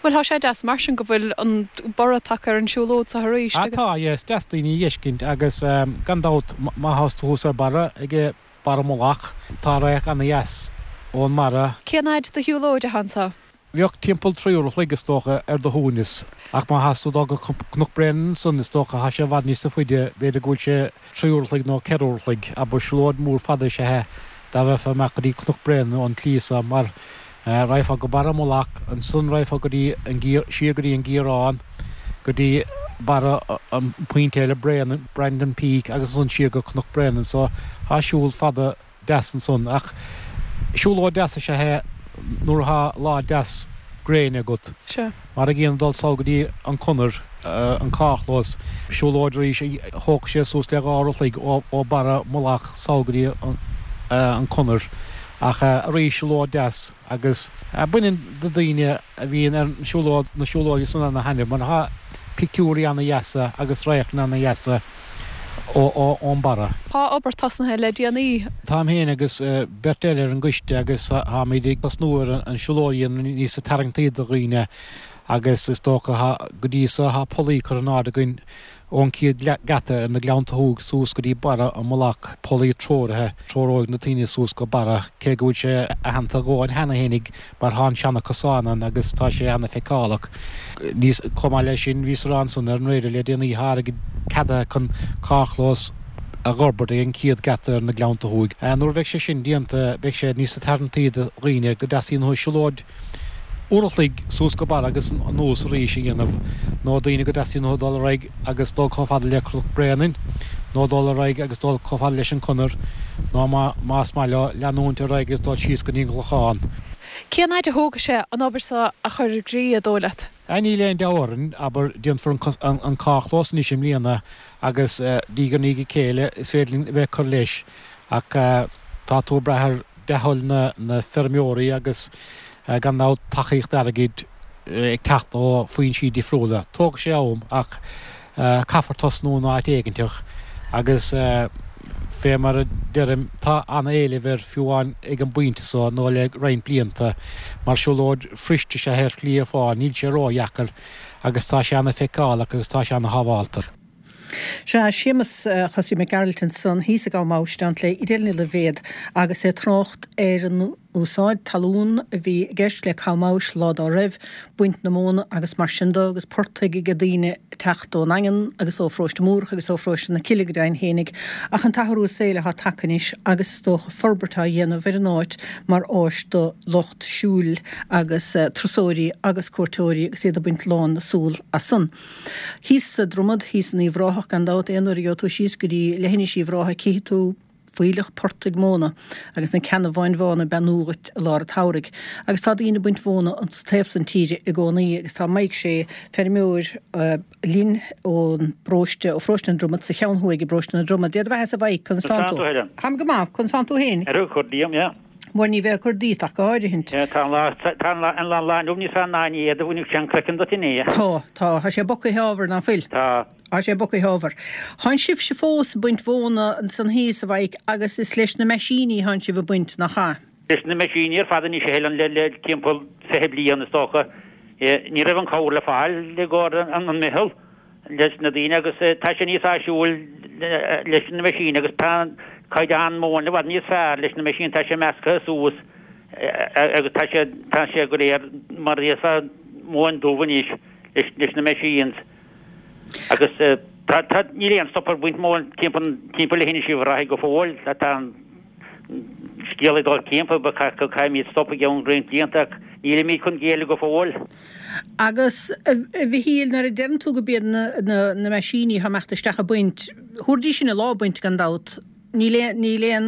Bhuel tá sé deas mar sin go bhfuil an borradh tagtha ar an siúlóid so arís Ah agus. tá, yes, deas daoine a dh'fheiscint agus gan dabht má thás tú thuas ar barra ag Barra Mullach. Tá radharc ana-dheas ón mbarra. Cén fhaid de shiúlóid atá anso? Bheadh timpeall trí uair a chloig, is dócha, ar do shuaimhneas. Ach má thás tú dul go Cnoc Bréanainn ansan, is dócha, thá sé i bhfad níosa faide, b'fhéidir go bhfuil sé trí uair a chloig nó ceithre uair a chloig. Abair, siúlóid mhór fada is ea é dá mbeifeá amach go dtí Cnoc Bréanainn ón tslí so, mar raghfá go Barra Mullach, ansan raghfá go dtí an, siar go dtí an Gearán, go dtí barra an pointe eile, Bréanainn, Brandon Peak, agus ansan siar go Cnoc Bréanainn. So tá siúl fada deas ansan. Ach siúlóid deas is ea é nuair atá lá deas gréine agat. Sea. Mar an gcéanna dul sall go dtí an Conair, an carrchlós, siúlóid arís a thógfadh sé suas le dhá uair a chloig ó Barra Mullach sall go dtí an Conair. Ach arís siúlóid deas agus baineann na daoine a bhíonn ar an siúlóid, na siúlóidí san ana-thaitneamh mar tá pictiúirí ana-dheasa agus radharcanna ana-dheasa ón barra. Tá obair tosnaithe le déanaí. Táim féin agus beirt eile ar an gcoiste agus táimid ag tosnú ar an siúlóid a dhéanamh níos tarraingtí do dhaoine agus is dócha go dtí so tá pollaí curtha in airde againn ón chéad geata ar na Gleannta Thuaidh suas go dtí barra an mullach, pollaí treoraithe, treoróidh na daoine suas go barra, cé go bhfuil sé aitheanta a dhóthain cheana fhéinig mar tá an seana cosán ann agus tá sé ana feiceálach. Níos, chomh maith leis sin, bhíos ag rá ansan ar an raidió le déanaí tá airgead ceadaithe chun carrchlós a dh'fhorbairt ag an chéad geata ar na Gleannta Thuaidh. Nuair a bheidh sé sin déanta beidh sé níos tarraingtí do dhaoine go dteastaíonn uathu siúlóid uair a chloig suas go barra agus anuas arís a dhéanamh, nó daoine go dteastaíonn uathu dul ar aghaidh agus dul chomh fada le Cnoc Bréanainn, nó dul ar aghaidh agus dul chomh fada leis an Chonair, nó más maith leo leanúint ar aghaidh agus dul síos go dtí an gClochán. Cén fhaid a thógfaidh sé an obair seo a chur i gcrích, an dóigh leat? Níl aon dabht orainn, abair, déanfar an carrchlós anois i mbliana agus diaidh ar ndiaidh a chéile is féidir linn a bheith ag cur leis ach tá tú ag brath ar dea-thoil na feirmeoirí agus gan dabht tacaíocht airgid ag teacht ó foinsí difriúla. Tógfaidh sé am ach caithfear tosnú in áit éiginteach agus fé mar a deirim tá an-éileamh air fiú amháin ag an bpointe so nó le roinnt blianta. Mar siúlóid fuirist is ea é ar shlí ar fad, níl sé ródheacair agus tá sé an-fheiceálach agus tá sé an-shábhálta. Sea, Séamus Chosaí Mac Gearailt ansan thíos i gCom Abhais in éineacht le Edel Ní Loibhéad agus é ag trácht ar an úsáid talún a bhí i gceist le Com Abhais lá dá raibh, baint na móna agus mar sin de agus portaigh ag daoine ag teacht ón nDaingean agus ó Pharóiste Múrach agus ó Pharóiste na Cille go deimhin fhéinig. Ach an t-athrú saoil atá tagtha anois agus is dócha forbairt á dhéanamh ar an áit mar áis do lucht siúil agus turasóirí agus cuairteoirí agus iad ag baint lán na súl as san. Thíos sa Dromad, thíos in Uíbh Ráthach gan dabht, aon uair a gheobhaidh tú síos go dtí leithinis Uíbh Ráthaigh cífidh tú fuílleach portaigh móna agus na ceannabháin bhána ag beannú dhuit i lár an tsamhraidh. Agus tá daoine ag baint mhóna an taobh san tíre i gcónaí agus tá Mike Shea, feirmeoir linn ón bparóiste, ó pharóiste na Dromad sa cheann thuaidh i bparóiste na Droma. Dia do bheatha-sa a Mhaidhc, conas tánn tú? Táim go maith, conas tánn tú féin? Ar chor díom, yeah. Bhuel ní bheadh ag cur díot ach go háirithint. Tá an lá, tá an lá, an lá inniu níos fearr ná inné, do bhainfeadh sé an craiceann duit inné. Tá, tá, tá sé bogtha ábhar, ná fuil? Tá. Tá sé bogtha ábhar. Thánn sibhse fós ag baint mhóna ansan thíos, a Mhaidhc, agus is leis na meaisíní thánn sibh ag baint, nach ea? Leis na meaisíní ar fad anois a Helen, le, le timpeall fiche bliain is dócha. Ní raibh an cabhair le fáil i gcomhair an, an meitheal. leis na daoine agus tá sé níos áisiúil leis na meaisín agus tá an caighdeán móin i bhfad níos fearr leis na meaisín, tá sé measctha suas agus tá sé tá sé go léir mar a déarfá móin dubh anois leis leis na machines agus tá tá níl aon stop ar bhaint móin timpeall timpeall leithinis Uíbh Ráthaigh go fóill tá an scéal ag dul timpeall go gcaithfimid stop i gceann roinnt blianta ach nílimid chun géilleadh go fóill. Agus, a Mhichíl, nuair a deireann tú go b'iad na na meaisíní atá ag imeacht isteach ag baint, thabharfaidís sin a lá ag baint gan dabht, níl aon, níl aon,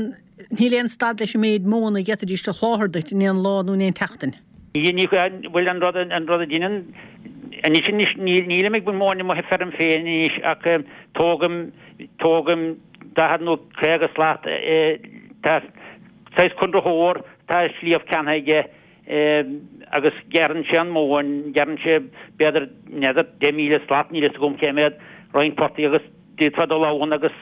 níl aon stad leis an méid móna a d'fhéadfaidís a sholáthar duit in aon lá nó in aon tseachtain. Ní, ní, bhuel an rud, an rud a deineann, anois, anois, níl, nílim ag baint móin i mo feirm féin anois ach tógaim, tógaim daichead nó caoga slat, tá saghas conraitheoir, tá sliabh ceannaithe aige agus gearrann sé an mhóin, gearrann sé b'fhéidir, n'fheadar, deich míle slat, níl a fhios agam cé mhéad, roinnt portaigh agus d'fhéadfá dul ann agus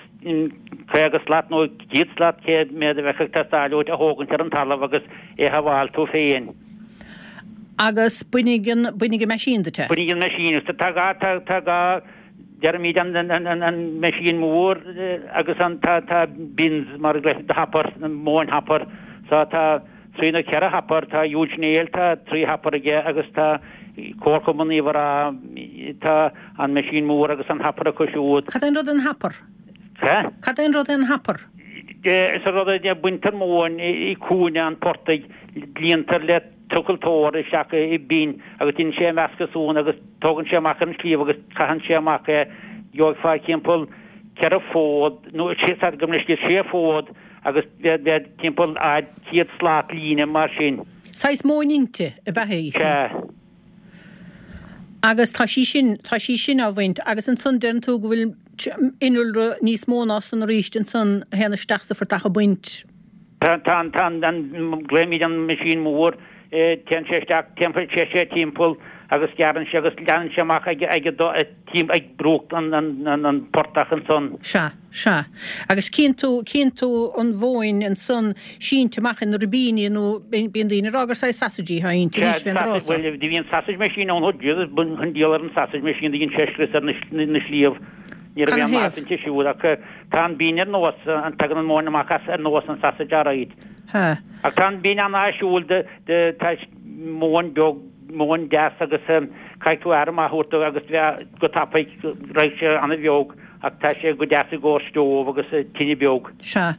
caoga slat nó céad slat, cé mhéad a bheadh ag teastáil uait a thógaint ar an talamh agus é a shábháil tú féin. Agus bainfidh an, bainfidh an meaisín duit é. Bainfidh an meaisín, tá dhá, tá, tá dhá. Deirimid an an meaisín mór agus an tá tá bins mar a glaoitear hopper móin hopper so tá trí nó ceithre hopper tá Huge Néill tá trí hopper aige agus tá Comharchumann Uíbh Ráthaigh tá an meaisín mór agus an hopper acu siúd. Cad é an rud é an hopper? Ca? Cad é an rud é an hopper? Is an rud é baintear móin i cúinne an phortaigh líontar le trucailteoir isteach i bin agus déanann sé meascadh ansan agus tógann sé amach ar an sliabh agus caitheann sé amach é. Gheobhaidh timpeall ceithre fód nó sé gabh mo leithscéal sé fód agus bheadh timpeall fhad céad slat líne mar sin. Saghas móin inte ab ea í? Sea. Agus tá sí sin, tá sí sin á bhaint agus ansan deireann tú go bhfuil innealra níos mó ná san arís ansan a théann isteach sa phortach ag baint. Tá an, tá an, glaoimid an meaisín mór, téann sé isteach, téann sé timpeall agus gearrann sé agus leanann sé amach ag ag tím ag bruach an an an portach ansan. Sea, sea. Agus cíonn tú, cíonn tú an mhóin ansan sínte amach ina ribíní nó bíonn daoine ag rá gur saghas sausage atá inti anois fén dtráth so. Bhuel, do bhí an sausage machine ann, Jesus, an diabhal ar an sausage machine do dhein sé scrios ar na sliabh. Ní raibh aon mhaitheas inti siúd ach tá an binn ar nós, tagann an mhóin amach as ar nós an sausage alright. Ach tá an binn an-áisiúil de, de, tá móin beag, móin deas agus caithfidh tú aire maith a thabhairt dó agus bheith go tapaidh, raghaidh sé an-bheag ach tá sé go deas i gcomhair stove agus tine beag. Sea.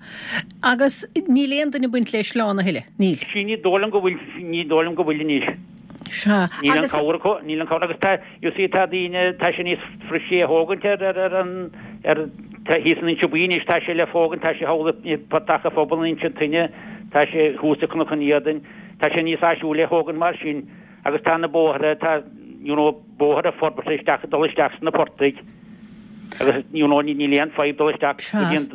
Agus níl aon duine ag baint le sleán a thuilleadh, níl? Sea, ní dóigh liom go bhfuil, ní dóigh liom go bhfuil anois. Sea. Níl an cabhair acu, níl an cabhair agus tá, you see, tá daoine, tá sé níos fuiriste a thógaint ar, ar, ar an, ar, tá thíos in Inse Buí anois, tá sé le fógaint, tá sé thall i bPortach an Phobail in Inse Toinne, tá sé thuas i Cnoc an Éadain, tá sé níos áisiúla a thógaint mar sin agus tá na bóithre, tá, you know, bóithre forbartha isteach, ag dul isteach sna portaigh. Agus you know níl aon fadhb dul isteach go dtí an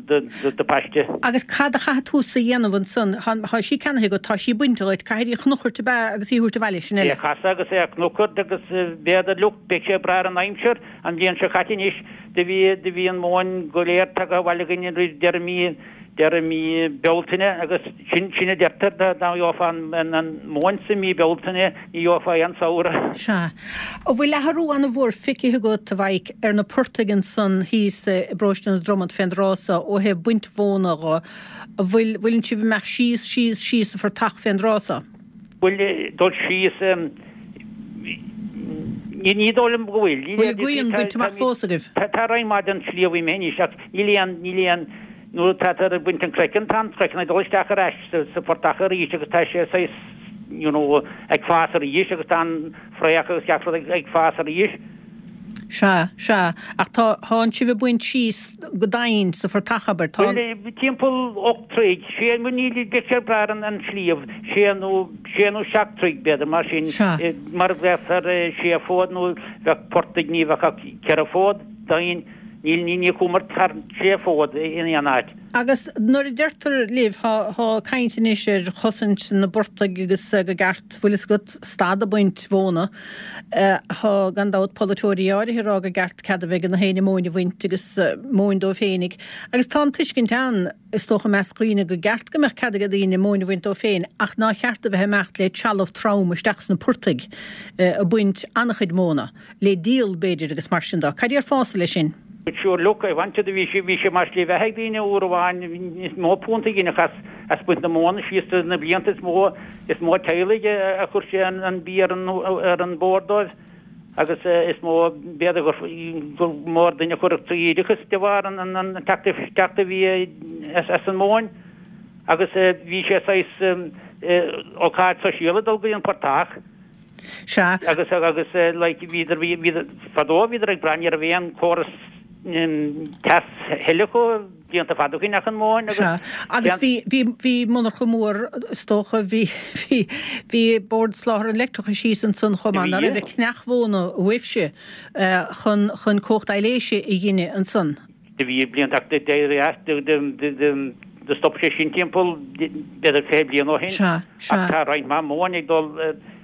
do paiste. Agus cad a chaithfidh túsa a dhéanamh ansan? Tá sí ceannaithe agat, tá sí bainte dhuit, caithfidh í a chnuchairt ab ea agus í a thabhairt abhaile, sin É eile. a chasadh agus é a chnuchairt agus b'fhéidir look beidh sé ag brath ar an aimsir, an bhliain seo caite anois do bhí do bhí an mhóin go léir tagtha abhaile againn roimh deireadh mí deireadh mí Bealtaine agus sin sin a deirtear dá dá gheofá an an an mhóin sa mí Bealtaine ní gheofá aon samhradh. Sea. An bhfuil athrú an-mhór feicthe agat, a Mhaidhc, ar na portaigh ansan thíos i bparóiste na Dromad fén dtráth so ó thaobh baint mhóna dho? An bhfuil bhfuileann sibh ag imeacht síos, síos, síos sa phortach fén dtráth so? Bhuel, dul síos, ní ní dóigh liom go bhfuil. Bhfuil an ghrian bainte amach fós agaibh? Tá tá roinnt mhaith den sliabh imithe anois ach níl aon níl aon nuair atáthar ag baint an craiceann tá an craiceann ag dul isteach ar ais sa sa phortach arís agus tá sé saghas you know ag fás arís agus tá an fraoch agus gach rud ag ag fás arís. Sea, sea, ach tá, thánn sibh ag baint síos go domhain sa phortach, abair, tá an. Bhuel, timpeall ocht dtroigh, sé nó ní, beidh sé ag brath ar an sliabh, sé nó, sé nó seacht dtroigh, b'fhéidir, mar sin, Sea. mar bheadh ar sé fód nó bheadh portaigh, ní bheadh ach ceithre fód domhain, níl, ní, ní chuamar thar sé fód in aon áit. Agus nuair a deirtear libh, thá, thá caint anois ar chosaint na bportaigh agus go gceart, bhfuil fhios agat, stad a baint mhóna. Thá, gan dabht, polaiteoirí áirithe ag rá go gceart cead a bheith ag na héinne móin a bhaint agus móin dóibh féinig. Agus tá an tuiscint ann, is dócha, i measc dhaoine go gceart go mbeadh cead ag daoine móin a bhaint dóibh féin ach ná cheart a bheith ag imeacht le trealamh trom isteach sna portaigh a baint an-chuid móna, le díol, b'fhéidir, agus mar sin dó. Cad déarfása leis sin? But sure look, I wanted bhí sé bhí sé mar shlí bheatha ag daoine uair amháin is mó punt a dhéanadh as as baint na móna síos do na blianta is mó is mó teaghlaigh a chuir sé an an bia ar an ar an bord dóibh agus is mó b'fhéidir gur gur mór duine a chuirfeadh trí oideachas de bharr an an an teacht isteach a bhí as as an móin agus bhí sé saghas ócáid sóisialta dul go dtí an portach. Sea. Agus, agus like bhíodar, bhí, bhíodar, fadó bhíodar ag brath, ní raibh aon chóras teas a thuilleadh acu blianta fada ó shin ach an mhóin agus. Sea. Agus bhí, bhí, bhí monarcha mór is dócha, bhí, bhí, bhí Bord Soláthair an Leictreachais thíos ansan chomh maith, nach raibh, ag cneach mhóna uaibhse chun, chun cumhacht aibhléise a ghineadh ansan. Do bhí blianta ach d'éirigh as, do stop sé sin timpeall b'fhéidir fiche bliain ó shin. Sea, sea. Ach tá roinnt mhaith móin ag dul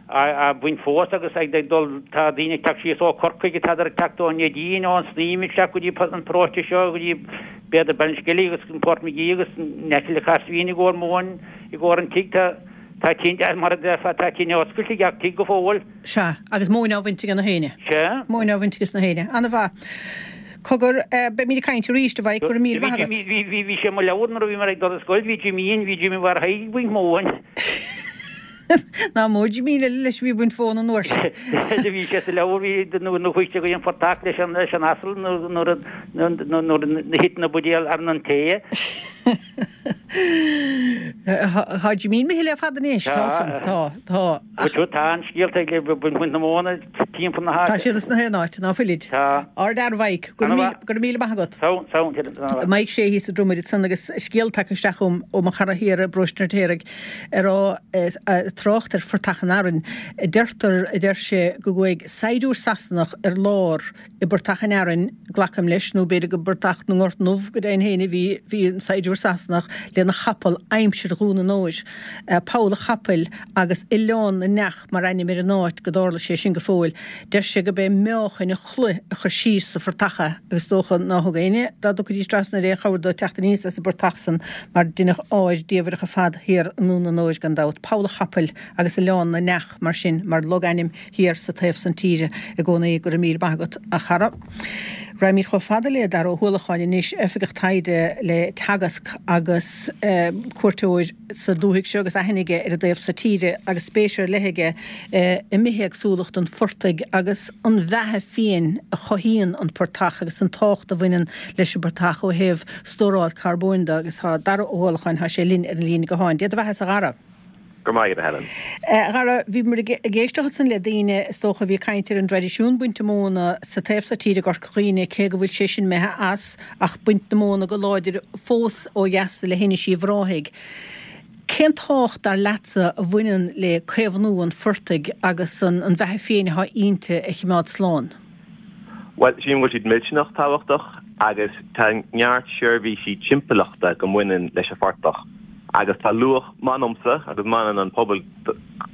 á baint fós agus ag dul, tá daoine ag teacht síos ó Chorcaigh, tádar ag teacht ón Neidín, ón Snaidhm isteach go dtí an paróiste seo, go dtí b'fhéidir Ballinskellig agus Port Magee agus in aice le Cahersiveen i gcomhair móin, i gcomhair an tigh. Tá, tá tinte, mar a déarfá, tá tine oscailte ag gach tigh go fóill. Sea, agus móin á bhaint ag na héinne. Sea. Móin á bhaint ages na héinne. Ana-mhaith. Cogar, beimid ag caint arís, a Mhaidhc, go raibh míle maith agat. Bhí, bhí, bhí sé i mo leabhar nuair a bhíomar ag dul ar scoil, bhí Jimín, bhí Jimí Mháire Thaidhg ag baint móin. Ná mó Jimín eile leis a bhí ag baint mhóna an uair sin. Do bhí sé sa leabhar, bhí, nuair a chuaigh sé go dtí an phortach leis an, leis an asal nuair, nuair a, nuair, nuair a thit na buidéil ar an tae. Tá Jimín imithe le fada anois, tá san, tá, tá. Ach tá an scéalta ag baint na móna timpeall na háite. Tá siad sna haon áit, ná fuilid. Tá. Ard-fhear, a Mhaidhc. Go raibh míle maith agat. Tá, tá. Maidhc Sé thíos sa Dromaid ansan agus scéal tagtha isteach chugam ó mo chara thiar i bparóiste an Fheirtéaraigh a raibh trácht ar Phortach an Fhearainn. Deirtear, a deir sé, go gcuaigh saighdiúir Sasanach ar lár i bPortach an Fhearainn, glacaim leis, nó b'fhéidir go bPortach na nGort nDubh go deimhin féin a bhí, bhí an saighdiúir dochtúir Sasanach lena chapall aimsir Dhún an Óir, Poll a' Chapaill agus Oileán na nEach mar ainm ar an áit go dtarla sé sin go fóill. Deir sé go b'é meáchain an chloich a chuir síos sa phortach é agus is dócha ná thug éinne dá dtiocfaidís trasna air aon chabhair dó teacht aníos as an bportach san mar deineadh ár diamhrach ar fad thiar i nDún an Óir gan dabht. Poll a' Chapaill agus Oileán na nEach mar sin mar logainm thiar sa taobh san tíre i gcónaí. Go raibh míle maith agat a chara. Raghaimid chomh fada le Dara Ó hUallacháin anois, Oifigeach Taighde le Teagasc agus cuairteoir sa dúthaigh seo agus aithne aige ar an dtaobh so tíre agus spéis ar leith aige i mbithéagsúlacht an phortaigh agus an bheatha fiáin a chothaíonn an portach agus an tábhacht a bhaineann leis an bportach ó thaobh stóráil carbóin de agus tá Dara Ó hUallacháin, tá sé linn ar an líne gutháin. Dia do bheatha-sa a Dhara. Go raibh maith agat, a Helen. A Dhara, bhíomar ag éisteacht ansan le daoine, is dócha, a bhí ag caint ar an dtraidisiún bainte móna sa taobh so tíre i gCorca Dhuibhne, cé go bhfuil sé sin imithe as, ach baint na móna go láidir fós ó dheas le hInis Uíbh Ráthaigh. Cén tábhacht, dar leatsa, a bhaineann le caomhnú an phortaigh agus an bheatha fiáin atá inti a chimeád slán? Bhuel, sílim go bhfuil siad millteanach tábhachtach agus tá neart seirbhísí timpeallachta go mbaineann leis an phortach agus tá luach, m'anamsa agus m'anam an pobail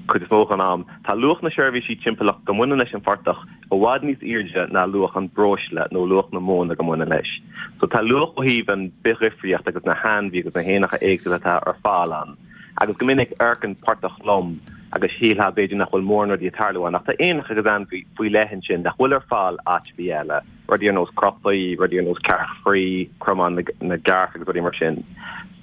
cuid is mó den am, tá luach na seirbhísí timpeallachta go mbaineann leis an phortach i bhfad níos airde ná luach an breosla nó luach na móna go mbaineann leis. So tá luach ó thaobh an bithdhifríocht agus na hainmhí agus na héanacha éagsúla atá ar fáil ann. Agus go minic amharcann portach lom agus shílfeá b'fhéidir nach bhfuil mórán rudaí ag tarlú ann ach tá éanacha agus ainmhí faoi leith ansin nach bhfuil ar fáil áit ar bith eile, rudaí ar nós crotaí, rudaí ar nós cearc fraoigh, cromán na gcearc agus rudaí mar sin.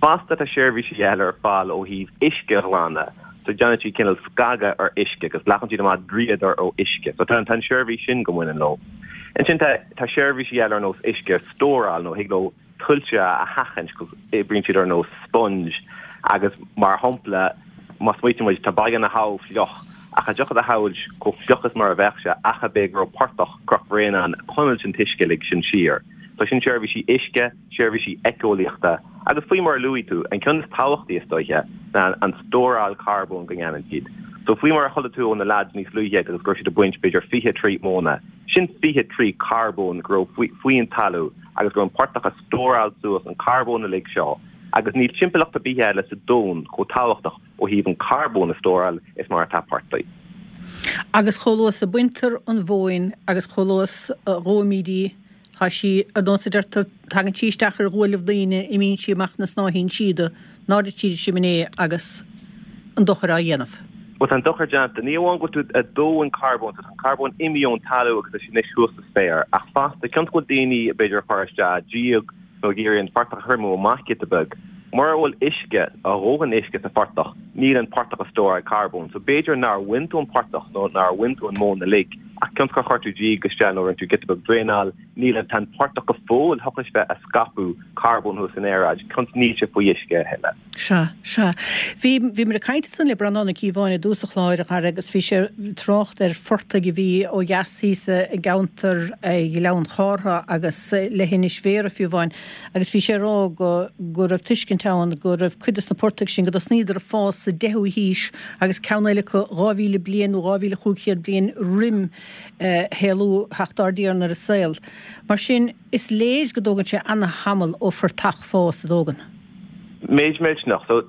Fosta tá seirbhísí eile ar fáil ó thaobh uisce a ghlanadh, so déanann siad cineál scagadh ar uisce agus glacann siad amach dríodar ó uisce, so tá an seirbhís sin go mbaineann leo. Ansin tá tá seirbhísí eile ar nós uisce a stóráil nó thig leo tuilte a sheachaint cos oibríonn siad ar nós sponge agus mar shampla má smaoitíonn muid tá Baile na hAbha fliuch ach cha dtiocfadh a shamhailt chomh fliuch is mar a bheadh sé ach ab é go raibh portach Chnoc Bhréanainn ann ag coinneáilt an t-uisce uilig sin siar. So sin seirbhísí uisce, seirbhísí éiceolaíochta agus faoi mar a luaigh tú, an ceann is tábhachtaí is dóiche ná an stóráil carbóin go ndéanann siad. So faoi mar a chuala tú ó na lads níos luaithe agus go raibh siad ag baint b'fhéidir fiche troigh móna, sin fiche troigh carbóin go raibh faoi an talamh agus go raibh an portach ag stóráil suas an carbón uilig seo agus níl timpeallacht ar bith eile sa domhan chomh tábhachtach ó thaobh an carbón a stóráil is mar atá portaigh. Agus chomh luath is a baintear an mhóin agus chomh luath is a dhóimid í, tá sí, ar nós a deirtear, tagann sí isteach ar ghuaillibh daoine, imíonn sí amach ina snáithín síoda, in airde tríd an simné agus an dochar á dhéanamh. Bhuel, tá an dochar déanta. Ní amháin go bhfuil tú ag dó an carbón, tá an carbón imithe ón talamh agus tá sé anois thuas sa spéir, ach fosta, cionn is go bhfuil daoine, b'fhéidir, ag cur isteach díog nó ag iarraidh an portach a thriomú amach giota beag, mura bhfuil uisce, a dhóthain uisce sa phortach, níl an portach ag stóráil carbóin. So b'fhéidir nár bhain tú an portach nó nár bhain tú an mhóin uilig, ach cionn is gur chuir tú díog isteach nó rinne tú giota beag draenáil, níl an, tá an portach go fóill thiocfadh leis bheith ag scaipeadh carbóin thuas san aeráid, cionn is níl sé faoi uisce a thuilleadh. Sea, sea. Bhí, bhíomar ag caint ansan le Breandán Ó Cíobháin i dtús an chláir, a Dhara, agus bhí sé ag trácht ar phortaigh a bhí ó dheas thíos i gceantar Ghleann Chártha agus leithinis Bhéarra fiú amháin, agus bhí sé ag rá go, go raibh tuiscint ann go raibh cuid des na portaigh sin, go dtosnaíodar ag fás sa deichiú haois agus ceann eile acu dhá mhíle bliain nó dhá mhíle chúig chéad bliain roim shaolú theacht ár dTiarna ar an saol. Mar sin, is léir go dtógann sé ana-thamall ó phortach fás, an dtógann? Méid millteanach. So,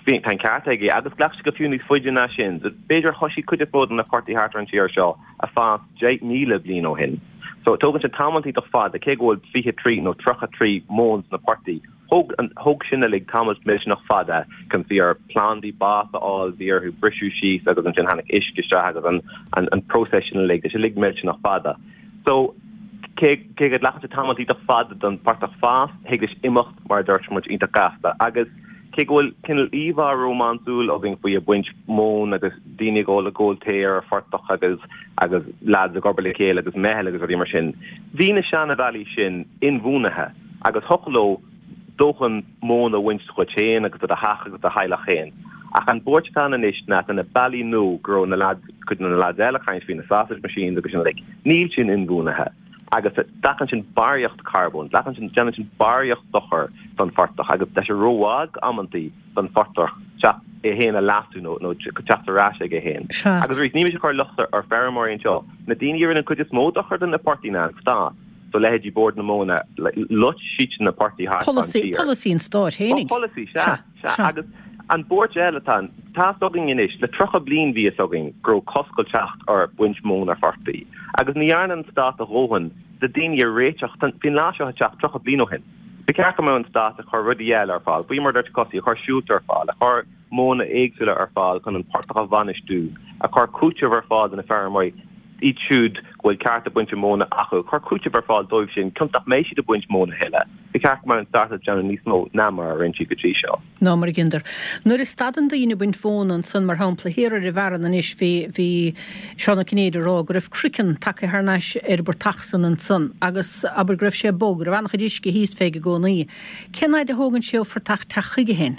bhí, tá an ceart aige, agus ghlac sé go fiú níos faide ná sin. So, b'fhéidir thoisigh cuid is mó de na portaigh thart ar an tír seo a fás deich míle bliain ó shin. So, tógann sé tamall iontach fada, cé go bhfuil fiche troigh nó tríocha troigh móin sna portaigh, thóg an, thóg sin uilig tamall millteanach fada, cionn is bhí ar plandaí bás a fháil, bhí orthu briseadh síos agus ansin tháinig uisce isteach agus an, an, an próiseas sin uilig, tá sé uilig millteanach fada. So, cé, cé go nglacann sé tamall iontach fada don phortach fás, thig leis imeacht, mar a dúirt muid, iontach gasta. Agus cé go bhfuil cineál íomhá rómánsúil againn faoi ag baint móin agus daoine ag ól ag ól tae ar an phortach agus agus lads ag obair le chéile agus meitheal agus rudaí mar sin, bhí na seanabhealaí sin inbhuanaithe agus thiocfadh leo dóthain móna a bhaint dhuit féin agus do do theach agus do theaghlach féin. Ach an bhuairt atá ann anois ná tá na bealaí nua go raibh na lads, cuid de na lads eile ag caint faoi na sausage machines agus sin uilig, níl sin inbhuanaithe agus glacann sin barraíocht carbóin, glacann sin, déanann sin barraíocht dochair don phortach agus tá sé rómhall amantaí don phortach teacht é féin a leasú nó nó teacht ar ais aige féin. Sea. Agus arís, níl mise ag cur locht ar feirmeoirí anseo, na daoine a rinne an cuid is mó dochair do na portaigh ná an stát. So leithéidí Bord na Móna, loit siad na portaigh thart fán Polasaí, tír. polasaí an stáit Well, fhéinig. polasaí, sea, Sea, sea. sea. Agus an buairt eile atá ann, tá fhios againn anois, le tríocha bliain bhí fhios againn go raibh cosc ag teacht ar bhaint móna ar phortaigh. Agus ní dhearna an stát a dhóthain do daoine a réiteach, bhí an lá seo ag teacht tríocha bliain ó shin. Ba cheart go mbeadh an stát ag cur rudaí eile ar fáil, faoi mar a dúirt Cosaí, ag cur siúlta ar fáil, ag cur modhanna éagsúla ar fáil chun an portach a bhainistiú, ag cur cúiteamh ar fáil do na feirmeoirí, iad siúd go bhfuil cearta bainte móna acu, cur cúiteamh ar fáil dóibh sin, cionn nach mbeidh siad ag baint móna a thuilleadh. Ba cheart go mbeadh an stát ag déanamh níos mó ná mar a rinne siad go dtí seo. Ná mar a dheineadar. Nuair a stadann daoine ag baint mhóna ansan, mar shampla, thiar ar an bhFearann anois, bhí, bhí Seán Ó Cinnéide ag rá go raibh craiceann tagtha thar n-ais ar an bportach san ansan agus abair go raibh sé bog, go raibh an-chuid uisce thíos fé i gcónaí. Cén fhaid a thógann sé ó phortach teacht chuige féin?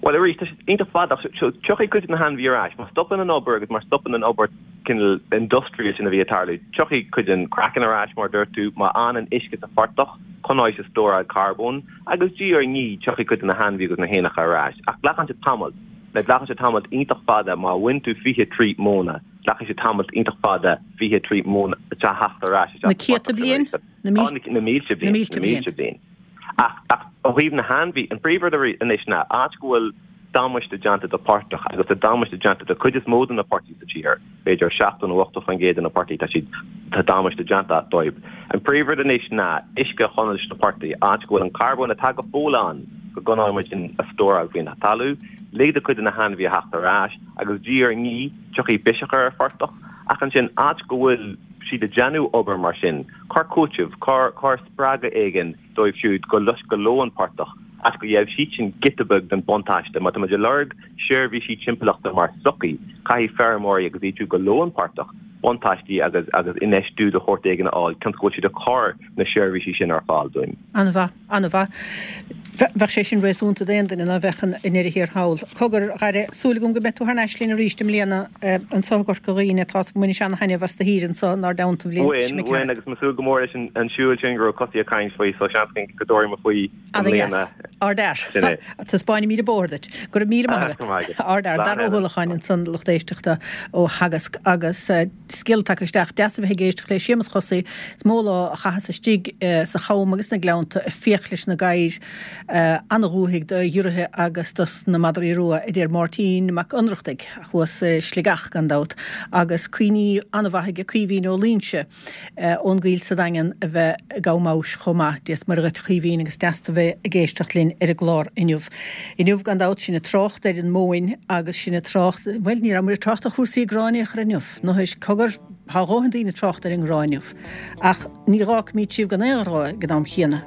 Bhuel, arís, tá sé iontach fada, ach so tiocfaidh cuid de na hainmhithe ar ais. Má stopann an obair agus má stopann an obair cineál industrial sin a bhí ag tarlú, tiocfaidh cuid den craiceann ar ais, mar a dúirt tú, má fhanann uisce sa phortach, coinneoidh sé stóráil carbóin, agus diaidh ar ndiaidh tiocfaidh cuid de na hainmhithe agus na héanacha ar ais. Ach glacann sé tamall. Like, glacann sé tamall iontach fada má bhain tú fiche troigh móna, glacfaidh sé tamall iontach fada fiche troigh móna a theacht ar ais isteach Na sa céadta phortach bliain? arís. Na mílte Á, na mílte bliain. Na mílte Na mílte bliain. bliain. Ach, ach ó thaobh na hainmhí, an príomhrud anois ná áit go bhfuil damáiste déanta do portach agus tá damáiste déanta do cuid is mó de na portaigh sa tír, b'fhéidir seachtó nó ochtó faoin gcéad de na portaigh, tá siad, tá damáiste déanta dóibh. An príomhrud anois ná uisce a choinneáil sna portaigh, áit go bhfuil an carbón atá go fóill ann, go gcoinneoidh muid sin a stóráil faoin talamh, lig do cuid de na hainmhithe a theacht ar ais agus diaidh ar ndiaidh tiocfaidh biseach ar an phortach, ach ansin áit go bhfuil siad ag déanamh obair mar sin, cuir cúiteamh, cuir, cuir spreagadh éigin dóibh siúd go lois, go ló an portach, áit go gheobhaidh siad sin giota beag den buntáiste. Má tá muid ag lorg seirbhísí timpeallachta mar sochaí, caithfidh feirmeoirí agus iad siúd go ló an portach buntáistí agus, agus infheistiú de shórt éigin a fháil, cionn go bhfuil siad ag cur na seirbhísí sin ar fáil dúinn. An-mhaith, an-mhaith. Bheadh sé sin réasúnta d'aon duine ná bheadh i ndeireadh thiar thall. Cogar, a Dhara, súil agam go mbeidh tú thar n-ais linn arís i mbliana anseo i gCorca Dhuibhne. Tá 's agam go mbainfidh ana-thaitneamh as do shaoire anseo inár dteannta an bhliain Bhain, seo bhain, agus mé ag súil go mór leis an siúl sin go raibh Cosaí ag caint faoi, so seans go dtabharfaidh mé faoi i mbliana. Ana-dheas. Ardfhear. Sin é. Taispeánfaimid an bóthar duit. Go raibh míle maith Go raibh maith agat. agat. Ardfhear. Slán Dara Ó eile. hUallacháin ansan lucht éisteachta ó Theagasc agus scéal tagtha isteach. Deas a bheith ag éisteacht le Séamus Chosaí. Is mó lá a chaitheas istigh sa cham agus sna gleannta ag fiach leis na gadhair ana-dhúthaigh do ghiorraithe agus dos na madraí rua, a deir Máirtín Mac Ionnrachtaigh, thuas i Sligeach gan dabht, agus cuimhní an-mhaith aige Caoimhín Ó Loingsigh ón gCoill sa Daingean a bheith i gCam Abhais chomh maith. Dia 's Muire dhuit a Chaoimhín agus deas tú bheith ag éisteacht linn ar an gclár inniu. Inniu gan dabht sinn ag trácht ar an móin agus sinn ag trácht, bhuel ní rabhamar ag trácht ar chúrsaí gráin aon chor inniu, nó is cogar, tá a dhóthain daoine ag trácht ar an ngrá inniu. Ach ní dh'fhágfaimid sibh gan aon ghrá ag an am chéanna.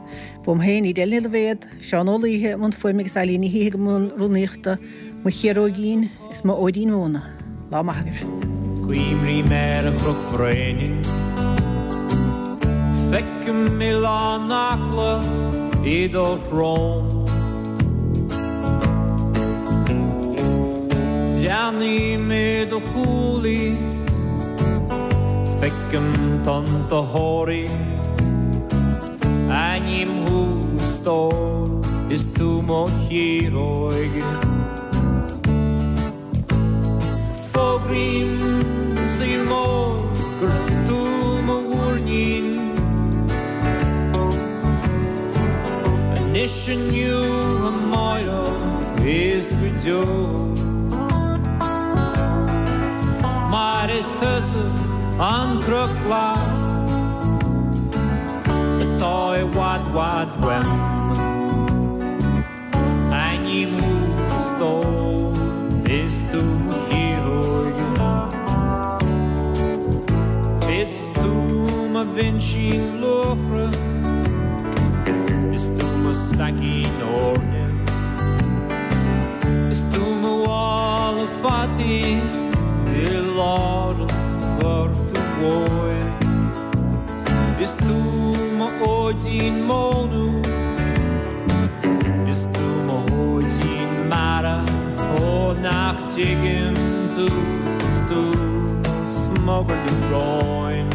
Fúm féin, Edel Ní Loibhéad, Seán Ó Laoithe i mbun fuaime agus Ailín Ní Shíthigh i mbun rúnaíochta, mo chiaróigín is mo fhóidín mhóna. Lá maith agaibh. Cuimrím ar an Chnoc Bhréanainn, Feicim Oileán Acla i do shrón. Breathnaím i do chúlaí, feicim tonnta Thoraí. Aithním thú a stór, is tú mo chiaróig. Fógraím don saol mór gur tú mo mhúirnín. Anois inniu amárach is go deo. Mar is tusa an cnoc glas atá i bhfad bhfad uaim. Aithním thú a stór, is tú mo chiaróig. Is tú mo bhinsín luachra, is tú mo staicín eorna, is tú mo mhála fataí i lár an ghorta mhóir. Is tú mo fhóidín móna, is tú mo fhóidín mara, ó nach dtuigeann tú, tú mo smugairle róin.